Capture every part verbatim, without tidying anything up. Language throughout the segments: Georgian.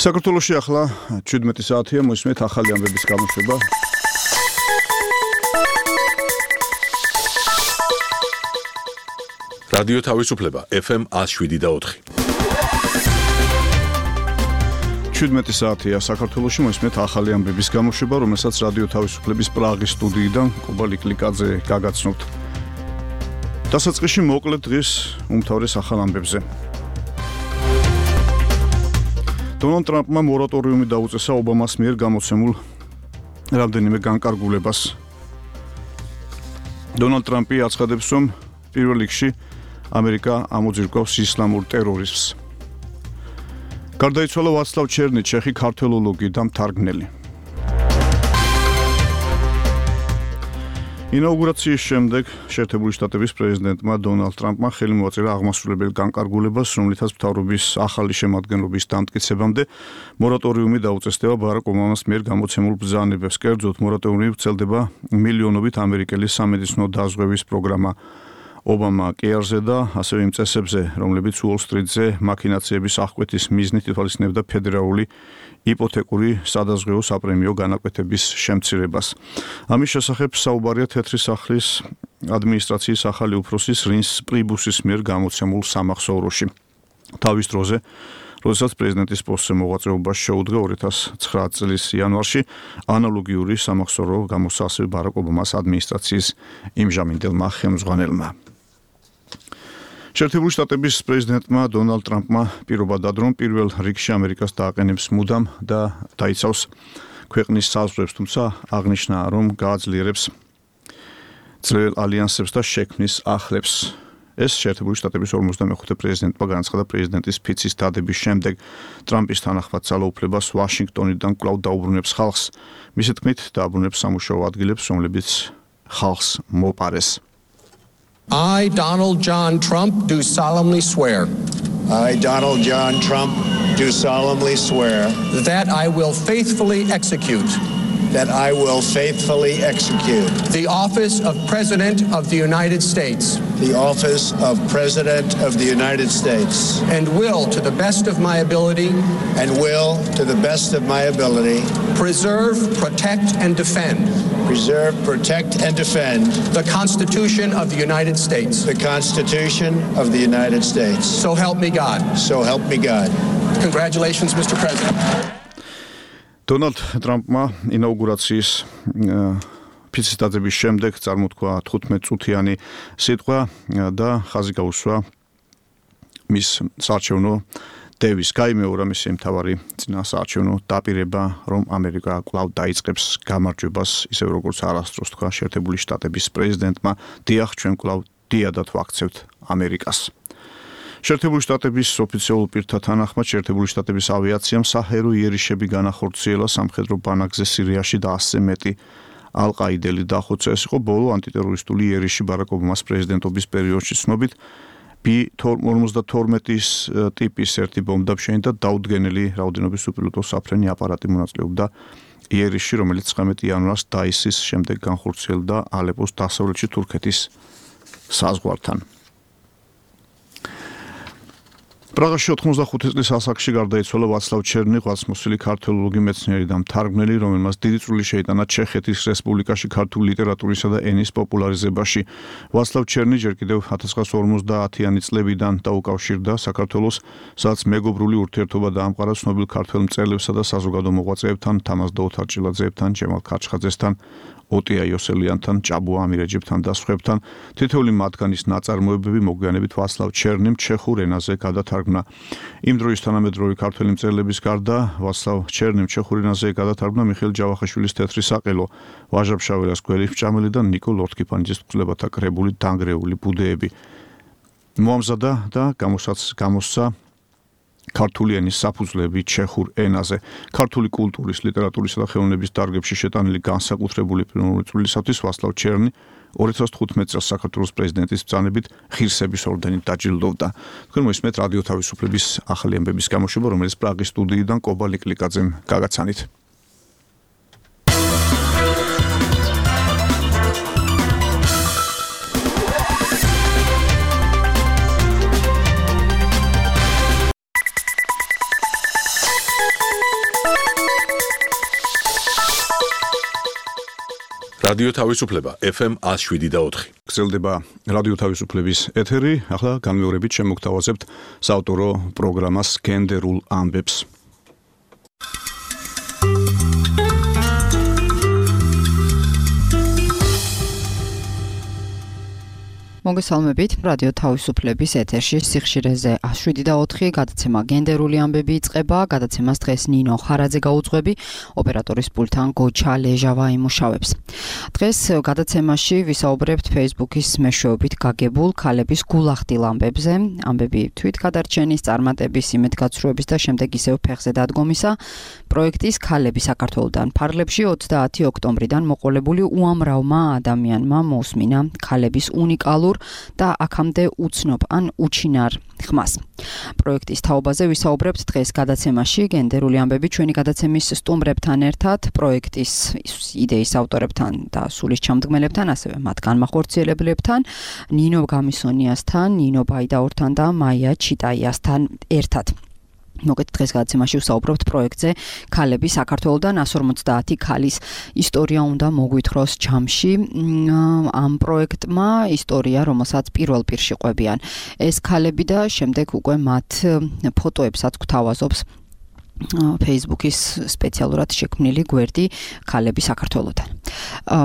საქართველოში ახლა შვიდმეტი საათია, მოისმენთ ახალი ამბების გამოშვება. რადიო თავისუფლება ეფ ემ one oh seven და four. შვიდმეტი საათია საქართველოში, მოისმენთ ახალი ამბების გამოშვება, რომელსაც რადიო თავისუფლების პრაღის სტუდიიდან კუბა ლიკლიკაძე გაგაცნობთ. დასაწყისში მოკლედ დღის უმთავრეს ახალ ამბებზე. დონალდ ტრამპმა მორატორიუმი დაუწესა ობამას მიერ გამოცემულ რამდენიმე განკარგულებას. დონალდ ტრამპი აცხადებს, რომ პირველ რიგში ამერიკა ამოძირკვავს ისლამურ ტერორიზმს. გარდაიცვალა ვაცლავ ჩერნი, ჩეხი ქართველოლოგი და მთარგმნელი. ინაუგურაციის შემდეგ შეერთებული შტატების პრეზიდენტმა დონალდ ტრამპმა ხელი მოაწერა აღმასრულებელ განკარგულებას, რომლითაც მთავრობის ახალი შემადგენლობის დამტკიცებამდე მორატორიუმი დაუწესდება ბარაკ ობამას მიერ გამოცემულ ბრძანებებს. კერძოდ, მორატორიუმი ვრცელდება მილიონობით ამერიკელის სამედიცინო დაზღვევის პროგრამა ობამა კეარზე და ასევე იმ წესებზე, რომლებიც უოლ-სტრიტზე მაქინაციების აღკვეთის მიზნით ითვალისწინებდა ფედერალური იპოთეკური სადაზღვეო საპრემიო განაკვეთების შემცირებას. ამის შესახებ საუბარია თეთრი სახლის ადმინისტრაციის ახალი უფროსის რინს პრიბუსის მიერ გამოცემულ სამახსოვროში. თავის დროზე, როდესაც პრეზიდენტის პოსტზე მოღვაწეობა შეუდგა ორი ათას ცხრა წლის იანვარში, ანალოგიური სამახსოვრო გამოსცა ასევე ბარაკ ობამას ადმინისტრაციის იმჟამინდელმა ხელმძღვანელმა. შეერთებული შტატების პრეზიდენტმა დონალდ ტრამპმა პირობა დადო, რომ პირველ რიგში ამერიკას დააყენებს მუდამ და დაიცავს ქვეყნის საზღვრებს, თუმცა აღნიშნა, რომ გააძლიერებს ძლიერ ალიანსებს და შექმნის ახლებს. ეს შეერთებული შტატების ორმოცდამეხუთე პრეზიდენტმა განაცხადა პრეზიდენტის ფიცის დადების შემდეგ. ტრამპის თანახმად ძალაუფლებას ვაშინგტონიდან კვლავ დაუბრუნებს ხალხს. მისი თქმით, დააბრუნებს სამუშაო ადგილებს, რომლებიც ხალხს მოპარეს. I, Donald John Trump, do solemnly swear. I, Donald John Trump, do solemnly swear that I will faithfully execute that I will faithfully execute the office of President of the United States the office of President of the United States and will, to the best of my ability, and will, to the best of my ability, preserve, protect, and defend preserve, protect, and defend the Constitution of the United States. the Constitution of the United States. So help me God. So help me God. Congratulations, Mister President. დონალდ ტრამპმა ინაუგურაციის ფიცის დადების შემდეგ წარმოთქვა თხუთმეტ წუთიანი სიტყვა და ხაზი გაუსვა მის საარჩევნო დევის. გაიმეორა მისი მთავარი წინასაარჩევნო დაპირება, რომ ამერიკა კვლავ დაიწყებს გამარჯვებას, ისევ როგორც არასდროს თქვა შეერთებული შტატების პრეზიდენტმა, დიახ, ჩვენ კვლავ დიადად ვაქცევთ ამერიკას. შეერთებული შტატების ოფიციალურ პირთა თანახმად, შეერთებული შტატების ავიაციამ საჰერო იერიშები განახორციელა სამხედრო ბანაკზე სირიაში და ასზე მეტი ალყაიდელი დახოცა. ეს იყო ბოლო ანტიტერორისტული იერიში ბარაკ ობამას პრეზიდენტობის პერიოდში. ცნობით, ბი ორმოცდათორმეტის ტიპის ერთი ბომბდამშენი და დაუდგენელი რაოდენობის უპილოტო საფრენი აპარატი მონაწილეობდა იერიში, რომელიც ცხრამეტი იანვარს დაისის შემდეგ განხორციელდა ალეპოს დასავლეთში თურქეთის საზღვართან. პრაღაში ოთხმოცდახუთი წლის ასაკში გარდაიცვალა ვაცლავ ჩერნი, ღვაწლმოსილი ქართველოლოგი მეცნიერი და მთარგმნელი, რომელმაც დიდი წვლილი შეიტანა ჩეხეთის რესპუბლიკაში ქართული ლიტერატურისა და ენის პოპულარიზებაში. ვაცლავ ჩერნი ჯერ კიდევ ათას ცხრაასი ორმოცდაათიანი წლებიდან დაუკავშირდა საქართველოს, სადაც მეგობრული ურთიერთობა დაამყარა ცნობილ ქართველ მწერლებსა და საზოგადო მოღვაწეებთან, თამაზ დაუთარჭილაძეებთან, ჯემალ ქაჩხაძესთან, ოტია იოსელიანთან, ჭაბუა ამირეჯიბთან და სხვებთან. თითოეული მათგანის ნაწარმოებები მოგვიანებით ვაცლავ ჩერნიმ ჩეხურ ენაზე გადათარგმნა. იმ დროის თანამედროვე ქართველი მწერლების გარდა ვაცლავ ჩერნიმ ჩეხურ ენაზე გადათარგმნა მიხეილ ჯავახიშვილის თეთრი საყელო, ვაჟა ფშაველას გველი ფჭამელი და ნიკო ლორთქიფანიძის მკვლელობათა კრებული დანგრეული ბუდეები. მოამზადა და გამოსცა ქართული ენის საფუძვლები ჩეხურ ენაზე. ქართული კულტურის, ლიტერატურისა და ხელოვნების დარგებში შეტანილი განსაკუთრებული პირველი წვლილისათვის ვაცლავ ჩერნი ორი ათას თხუთმეტ წელს საქართველოს პრეზიდენტის ბრძანებით ღირსების ორდენით დაჯილდოვდა. თქვენ მოისმენთ რადიო თავისუფლების ახალი ამბების გამოშვება, რომელიც პრაღის სტუდიიდან კუბა ლიკლიკაძემ გაგაცანით. რადიო თავისუფლება F M one oh seven და four. გრძელდება რადიო თავისუფლების ეთერი. ახლა განმეორებით შემოგთავაზებთ საავტორო პროგრამას გენდერულ ამბებს. მოგესალმებით, რადიო თავისუფლების ეთერში სიხშირეზე one oh seven და four გადაცემა გენდერული ამბები იწყება. გადაცემას დღეს ნინო ხარაძე გაუძღვები, ოპერატორის პულტთან გოჩა ლეჟავა იმუშავებს. დღეს გადაცემაში ვისაუბრებთ Facebook-ის მეშვეობით გაგებულ ქალების გულახდილ ამბებზე, ამბები თვითგადარჩენის, წარმატების, იმედგაცრუების და შემდეგ ისევ ფეხზე დადგომისა. პროექტის ქალები საქართველოდან ფარგლებში ოცდაათი ოქტომბრიდან მოყოლებული უამრავმა ადამიანმა მოусმინა ქალების უნიკალურ და აქამდე უცნობ ან უჩინარ ხმას. პროექტის თაობაზე ვისაუბრებთ დღეს გადაცემაში გენდერული ამბები ჩვენი გადაცემის სტუმრებთან ერთად, პროექტის იდეის ავტორებთან და სულის ჩამდგმელებთან, ასევე მათ განმახორციელებლებთან, ნინო გამისონიასთან, ნინო ბაიდაურთან და მაია ჩიტაიასთან ერთად. მოგეთ დღეს გადაცემაში ვსაუბრობთ პროექტზე ქალები საქართველოდან one hundred forty ქალის ისტორია უნდა მოგვითხროს ჯამში. ამ პროექტმა ისტორია, რომელსაც პირველ პირში ყვებიან ეს ქალები და შემდეგ უკვე მათ ფოტოებსაც გვთავაზობს Facebook-ის სპეციალურად შექმნილი გვერდი ქალები საქართველოდან.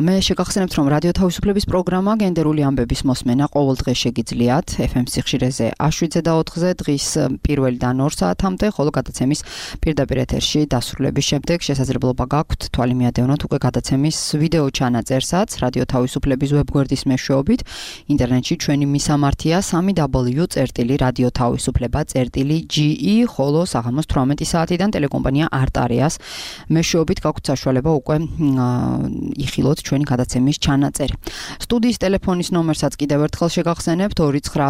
მე შეგახსენებთ, რომ რადიო თავისუფლების პროგრამა გენდერული ამბების მოსმენა ყოველ დღე შეგიძლიათ F M სიხშირეზე one oh seven და four დღის პირველიდან two საათამდე, ხოლო გადაცემის პირდაპირ ეთერში დასრულების შემდეგ შესაძლებლობა გაქვთ თვალი მიადევნოთ უკვე გადაცემის ვიდეო ჩანაწერსაც რადიო თავისუფლების ვებგვერდის მეშვეობით. ინტერნეტში ჩვენი მისამართია three w წერტილი რადიო თავისუფლება წერტილი G E, ხოლო საღამოს eighteen საათიდან ტელეკომპანია არტარიას მეშვეობით გაქვთ საშუალება უკვე იხილოთ ჩვენი გადაცემის ჩანაწერი. სტუდიის ტელეფონის ნომერსაც კიდევ ერთხელ შეგახსენებთ two nine eight eight three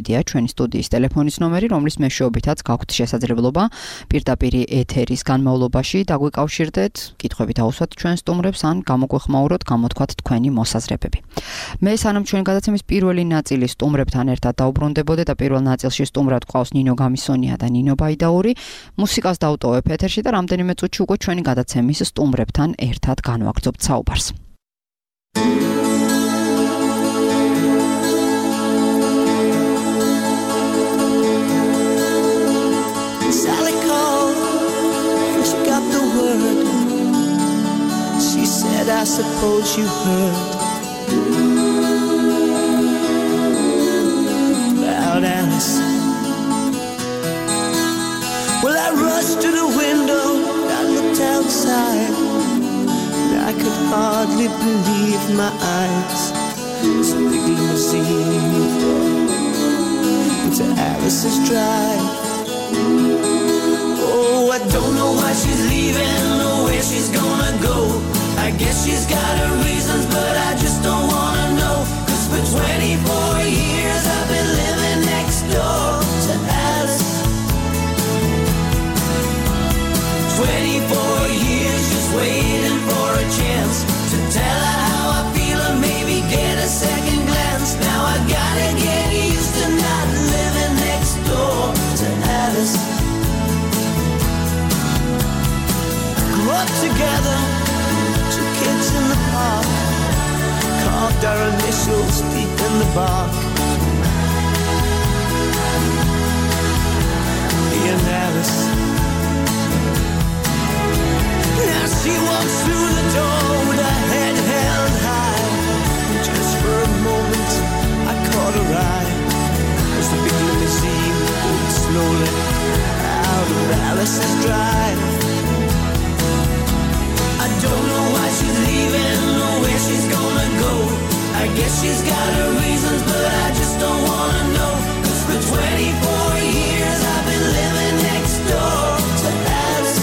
twenty-seven ჩვენი სტუდიის ტელეფონის ნომერი, რომლის მეშვეობითაც გაქვთ შესაძლებლობა პირდაპირ ეთერის განმავლობაში დაგვიკავშირდეთ, კითხვებით აუსვათ ჩვენ სტუმრებს ან გამოგვეხმაუროთ, გამოთქვათ თქვენი მოსაზრებები. მე სანამ ჩვენი გადაცემის პირველი ნაწილი სტუმრებთან ერთად დაუბრუნდებოდე და პირველ ნაწილში სტუმრად გვყავს ნინო გამისონია და ნინო ბაიდაური, მუსიკას დავტოვებ ეთერში და რამდენიმე წუთში უკვე ჩვენი გადაცემის სტუმრებთან ერთად განვაგრძობთ საუბარს. Sally called and she got the word. She said, I suppose you heard about Alice. Well, I rushed to the window, I looked outside, and I could hardly believe my eyes. This big limousine moved up into Alice's drive. Oh, I don't know why she's leaving or where she's gonna go. I guess she's got her reasons, but I just don't wanna know. Cause for twenty-four years I've been living next door to Alice. twenty-four years just waiting for a chance to tell her how I feel and maybe get a second glance. Now I gotta get used to not living next door to Alice. Grew up together, two kids in the park, carved our initials deep in the bark. Me and Alice. Now she walks through the door with her head held high, and just for a moment I caught her eye as the big limousine pulled slowly out of Alice's drive. I don't know why she's leaving or where she's gonna go. I guess she's got her reasons, but I just don't wanna know. Cause for twenty-four years I've been living next door to Alice.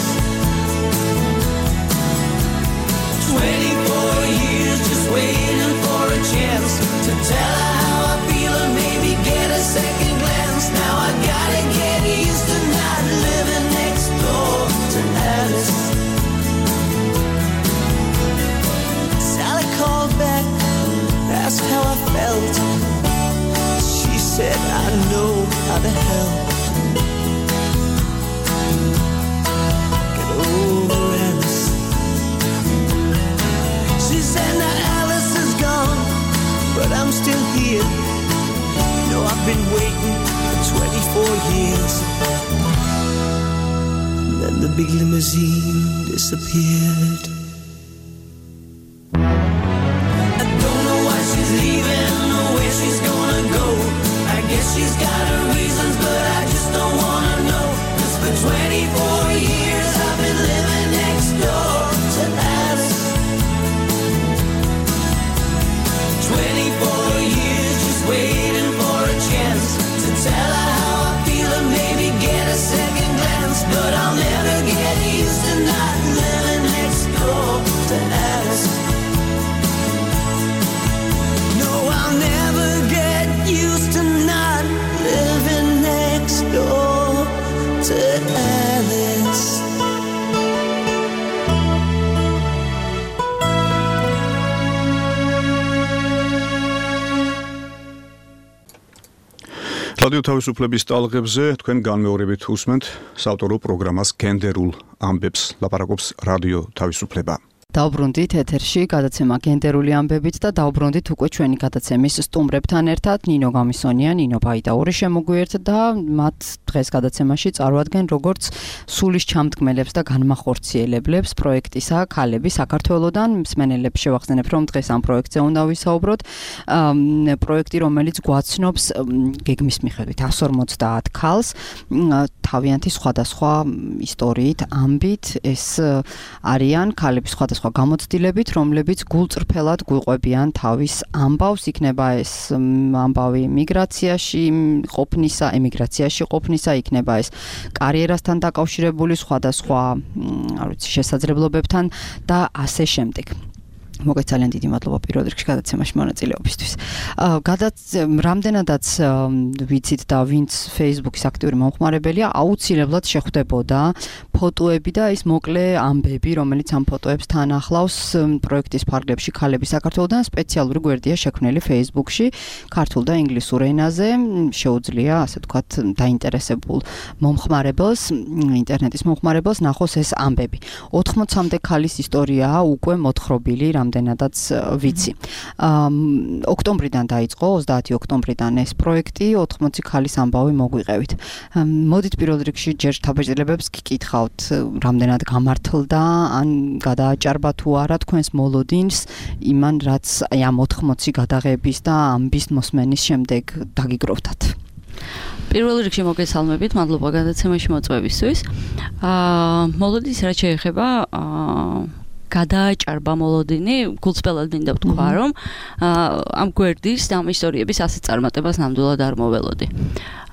twenty-four years just waiting for a chance to tell her how I feel and maybe get a second glance. Now I gotta get used to not living next door to Alice. Sally called back, asked how I felt. She said, I know how to help. Get over Alice. heels. And then the big limousine disappeared. I don't know why she's leaving or where she's gonna go. I guess she's got her reasons, but I just don't wanna know. 'Cause for twenty-four years I've been living next door to Alice. twenty-four years just waiting for a chance to tell her how I feel and maybe get a second glance. But I'll never get used to not living next door to Alice. No, I'll never get used to not living next door to Alice. რადიო თავისუფლების ტალღებზე თქვენ განმეორებით უსმენთ საავტორო პროგრამას გენდერულ ამბებს, ლაპარაკობს რადიო თავისუფლება. დავბრუნდით ეთერში გადაცემა გენდერული ამბებით და დავბრუნდით უკვე ჩვენი გადაცემის სტუმრებთან ერთად. ნინო გამისონია, ნინო ბაიდაური შემოგვიერთ და მათ დღეს გადაცემაში წარვადგენ როგორც სულის ჩამდგმელებს და განმახორციელებლებს პროექტისა ქალები საქართველოდან. მსმენელებს შევახსენებ, რომ დღეს ამ პროექტზე უნდა ვისაუბროთ. პროექტი, რომელიც გვაცნობს გეგმის მიხედვით εκατს ორმოცდაათ ქალს, თავიანთი სხვადასხვა ისტორიით, ამბით. ეს არიან ქალები სხვადასხვა გამოცდილებით, რომლებიც გულწრფელად გვიყვებიან თავის ამბავს, იქნება ეს ამბავი მიგრაციაში ყოფნისა, ემიგრაციაში ყოფნისა, იქნება ეს კარიერასთან დაკავშირებული სხვადასხვა, არ ვიცი, შესაძლებლობებთან და ასე შემდეგ. მოგეთ ძალიან დიდი მადლობა პირველ რიგში გადაცემაში მონაწილეობისთვის. რამდენადაც ვიცით და ვინც Facebook-ის აქტიური მომხმარებელია, აუცილებლად შეხვდებოდა ფოტოები და ის მოკლე ამბები, რომელიც ამ ფოტოებს თან ახლავს პროექტის ფარგლებში ქალები საქართველოდან. სპეციალური გვერდია შექმნილი Facebook-ში ქართულ და ინგლისურ ენაზე. შეუძლია, ასე ვთქვათ, დაინტერესებულ მომხმარებელს, ინტერნეტის მომხმარებელს ნახოს ეს ამბები. ოთხმოცამდე ქალის ისტორიაა უკვე მოთხრობილი, რამდენადაც ვიცი. ოქტომბრიდან დაიწყო, ოცდაათი ოქტომბრიდან ეს პროექტი, ოთხმოცი ქალის ამბავი მოგვიყევით. მოდით პირველ რიგში ჯერ შთაბეჭდილებებს გიკითხავთ, რამდენად გამართლდა, ან გადააჭარბა თუ არა თქვენს მოლოდინს იმან, რაც აი ამ ოთხმოცი გადაღების და ამბის მოსმენის შემდეგ დაგიგროვდათ. პირველ რიგში მოგესალმებით, მადლობა გადაცემაში მოწვევისთვის. აა მოლოდინს რაც შეეხება, აა გადააჭარბა მოლოდინი, გულწრფელად მინდა ვთქვა, რომ ამ გვერდის და ამ ისტორიების ასეთ წარმატებას ნამდვილად არ მოველოდი.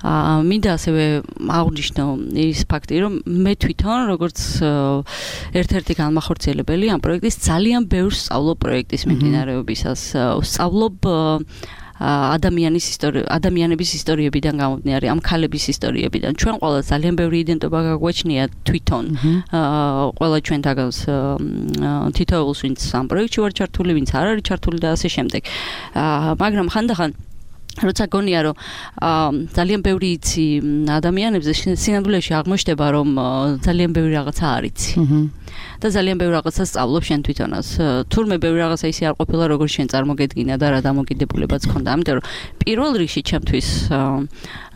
აა მინდა ასევე აღვნიშნო ის ფაქტი, რომ მე თვითონ როგორც ერთ-ერთი განმახორციელებელი ამ პროექტის ძალიან ბევრს სწავლობ პროექტის მიმდინარეობისას, სწავლობ ადამიანის ისტორია, ადამიანების ისტორიებიდან გამომდინარე, ამ ქალების ისტორიებიდან. ჩვენ ყველა ძალიან ბევრი იდენტობა გაგვაჩნია თვითონ. აა ყველა ჩვენთაგანს თითოეულს, ვინც ამ პროექტში ვარ ჩართული, ვინც არ არის ჩართული და ასე შემდეგ. აა მაგრამ ხანდახან როცა გონია, რომ ძალიან ბევრი იცი ადამიანებზე, სინამდვილეში აღმოჩნდება, რომ ძალიან ბევრი რაღაცა არ იცი. და ძალიან ბევრი რაღაცა სწავლობ შენ თვითონაც. თურმე ბევრი რაღაცა ისე არ ყოფილა, როგორც შენ წარმოგედგინა და რა დამოკიდებულებაც ქონდა. ამიტომ რომ პირველ რიგში ჩემთვის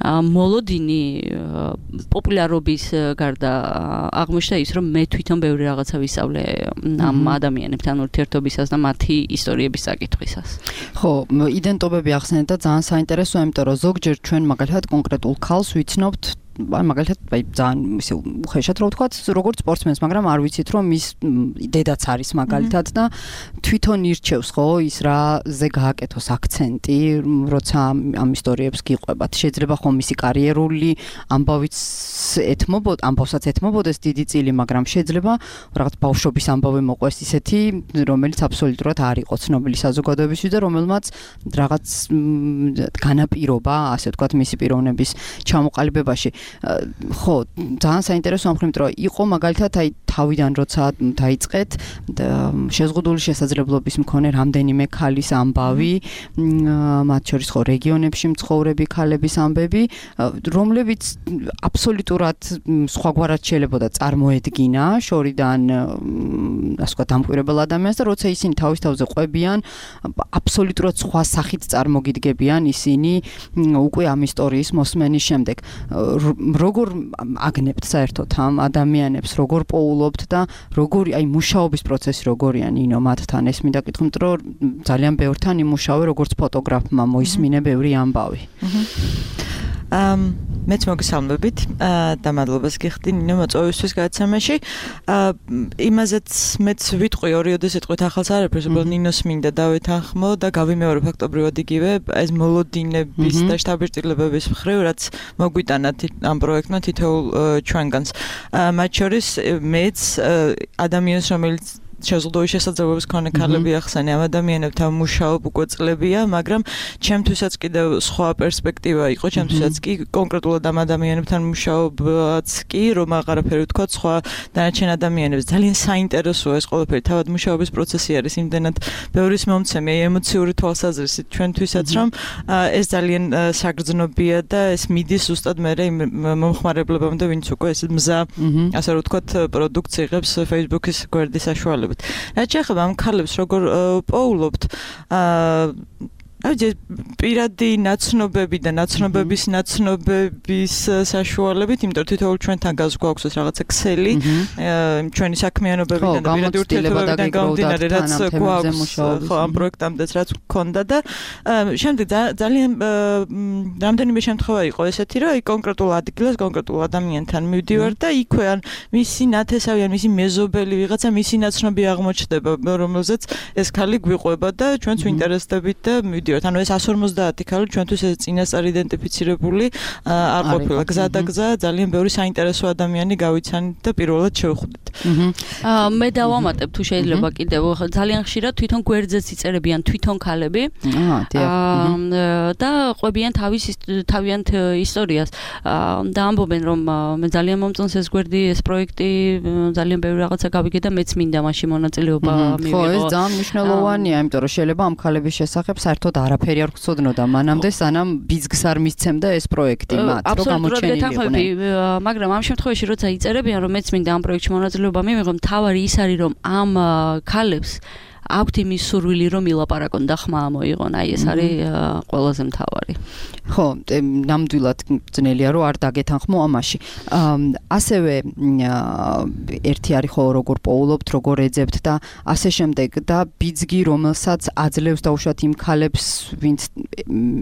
მოლოდინი პოპულარობის გარდა აღმოჩნდა ის, რომ მე თვითონ ბევრი რაღაცა ვისწავლე ამ ადამიანებთან ურთიერთობისას და მათი ისტორიების საკითხვისას. ხო, იდენტობები ახსენეთ და ძალიან საინტერესოა, იმიტომ რომ ზოგჯერ ჩვენ მაგალითად კონკრეტულ ქალს ვიცნობთ ან მაგალითად აი ძალიან ისე უხეშად რო ვთქვათ, როგორც სპორტსმენს, მაგრამ არ ვიცით, რომ ის დედაც არის მაგალითად და თვითონ ირჩევს, ხო, ის რაზე გააკეთოს აქცენტი, როცა ამ ისტორიებს გიყვებათ. შეიძლება ხომ მისი კარიერული ამბავიც ეთმობოდ, ამბავსაც ეთმობოდეს დიდი წილი, მაგრამ შეიძლება რაღაც ბავშვობის ამბავი მოყვეს ისეთი, რომელიც აბსოლუტურად არ იყო ცნობილი საზოგადოებისთვის და რომელმაც რაღაც განაპირობა, ასე ვთქვათ, მისი პიროვნების ჩამოყალიბებაში. ხო, ძალიან საინტერესოა, მხრივ, რომ იყო მაგალითად აი თავიდან როცა დაიწყეთ შეზღუდული შესაძლებლობის მქონე რამდენიმე ქალის ამბავი, მათ შორის ხო რეგიონებში მცხოვრები ქალების ამბები, რომლებიც აბსოლუტურად სხვაგვარად შეიძლებოდა წარმოედგინა შორიდან ასე ვთქვათ დამკვირვებელ ადამიანს და როცა ისინი თავის თავზე ყვებიან აბსოლუტურად სხვა სახით წარმოგიდგებიან ისინი უკვე ამ ისტორიის მოსმენის შემდეგ როგორ აგნებთ საერთოდ ამ ადამიანებს როგორ პოულობთ და როგორი აი მუშაობის პროცესი როგორია ნინო მათთან ეს მინდა კითხო იმიტომ რომ ძალიან ბევრთან იმუშავე როგორც ფოტოგრაფმა მოისმინე ბევრი ამბავი ამ მეც მოგესალმებით და მადლობას გიხდი ნინო მოწვევისთვის გადაცემაში. იმაზეც მეც ვიტყვი ორიოდე სიტყვით ახალს არაფერს, უბრალოდ ნინოს მინდა დავეთანხმო და გავიმეორო ფაქტობრივად იგივე ეს მოლოდინების და შთაბეჭდილებების მხრივ, რაც მოგვიტანა ამ პროექტმა თითოეულ ჩვენგანს. მათ შორის მეც ადამიანს რომელიც შეზღუდული შესაძლებლობის მქონე ქალები ახსენე ამ ადამიანებთან მუშაობ უკვე წლებია, მაგრამ ჩემთვისაც კიდევ სხვა პერსპექტივა იყო, ჩემთვისაც კი კონკრეტულად ამ ადამიანებთან მუშაობაც კი, რომ აღარაფერი ვთქვა სხვა დანარჩენ ადამიანებს. ძალიან საინტერესოა ეს ყველაფერი, თავად მუშაობის პროცესი არის იმდენად ბევრის მომცემი, ემოციური თვალსაზრისით ჩვენთვისაც, რომ ეს ძალიან საგრძნობია და ეს მიდის ზუსტად მერე იმ მომხმარებლებამდე, ვინც უკვე ეს მზა, ასე რომ ვთქვათ, პროდუქტს იღებს Facebook-ის გვერდის საშუალებით. რაც შეეხება ამ ქალებს როგორ პოულობთ აი პირადი ნაცნობები და ნაცნობების ნაცნობების საშუალებით, იმიტომ რომ თითოეულ ჩვენთან გვაქვს ეს რაღაცა ქსელი, ჩვენი საქმიანობებიდან და პირადი ურთიერთობებიდან გამომდინარე, რაც გვაქვს ხო ამ პროექტამდეც რაც გქონდა და შემდეგ ძალიან რამდენიმე შემთხვევა იყო ესეთი, რომ აი კონკრეტულ ადგილას, კონკრეტულ ადამიანთან მივდივარ და იქვე ან მისი ნათესავი ან მისი მეზობელი ვიღაცა მისი ნაცნობი აღმოჩნდება, რომელზეც ეს ქალი გვიყვება და ჩვენც ვინტერესდებით და მივდივართ. ანუ ეს one fifty ქალი ჩვენთვის ეს წინასწარ იდენტიფიცირებული არ ყოფილა. გზა და გზა ძალიან ბევრი საინტერესო ადამიანი გავიცანით და პირველად შევხვდით. მე დავამატებ თუ შეიძლება კიდევ ძალიან ხშირად თვითონ გვერდზეც იწერებიან თვითონ ქალები და ყვებიან თავის თავიანთ ისტორიას და ამბობენ რომ მე ძალიან მომწონს ეს გვერდი, ეს პროექტი, ძალიან ბევრი რაღაცა გავიგე და მეც მინდა მაშინ მონაწილეობა მივიღო. ხო, ეს ძალიან მნიშვნელოვანია, იმიტომ რომ შეიძლება ამ ქალების შესახებ საერთოდ არაფერი არ გწოდნოდა მანამდე სანამ ბიზგს არ მისცემდა ეს პროექტი მათ რომ გამოჩენილიყვნენ. მაგრამ ამ შემთხვევაში როცა იწერებიან რომ მეც მინდა ამ პროექტში მონაწილეობა მივიღო, მთავარი ის არის რომ ამ ქალებს აქვთ იმის სურვილი რომ ილაპარაკონ და ხმა მოიღონ, აი ეს არის ყველაზე მთავარი. ხო, ნამდვილად ძნელია რომ არ დაგეთანხმო ამაში. ასევე ერთი არის ხო როგორ პოულობთ, როგორ ეძებთ და ასე შემდეგ და ბიძგი რომელსაც აძლევს დაუშვათ იმ ქალებს, ვინც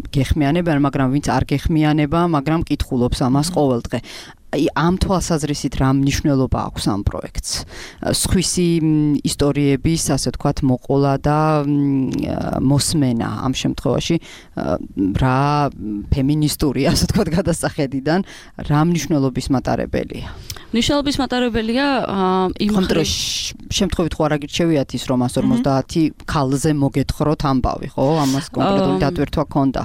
გეხმიანებიან, მაგრამ ვინც არ გეხმიანება, მაგრამ კითხულობს ამას ყოველდღე. აი ამ თვალსაზრისით რა მნიშვნელობა აქვს ამ პროექტს? სხვისი ისტორიების, ასე ვთქვათ, მოყოლა და მოსმენა ამ შემთხვევაში რა ფემინისტური, ასე ვთქვათ, გადასახედიდან რა მნიშვნელობის მატარებელია? მნიშვნელობის მატარებელია იმ ხმდროს შემთხვევით ხო არ აგირჩევიათ ის რომ one fifty ქალზე მოგეთხროთ ამბავი, ხო? ამას კონკრეტული დატვირთვა ქონდა.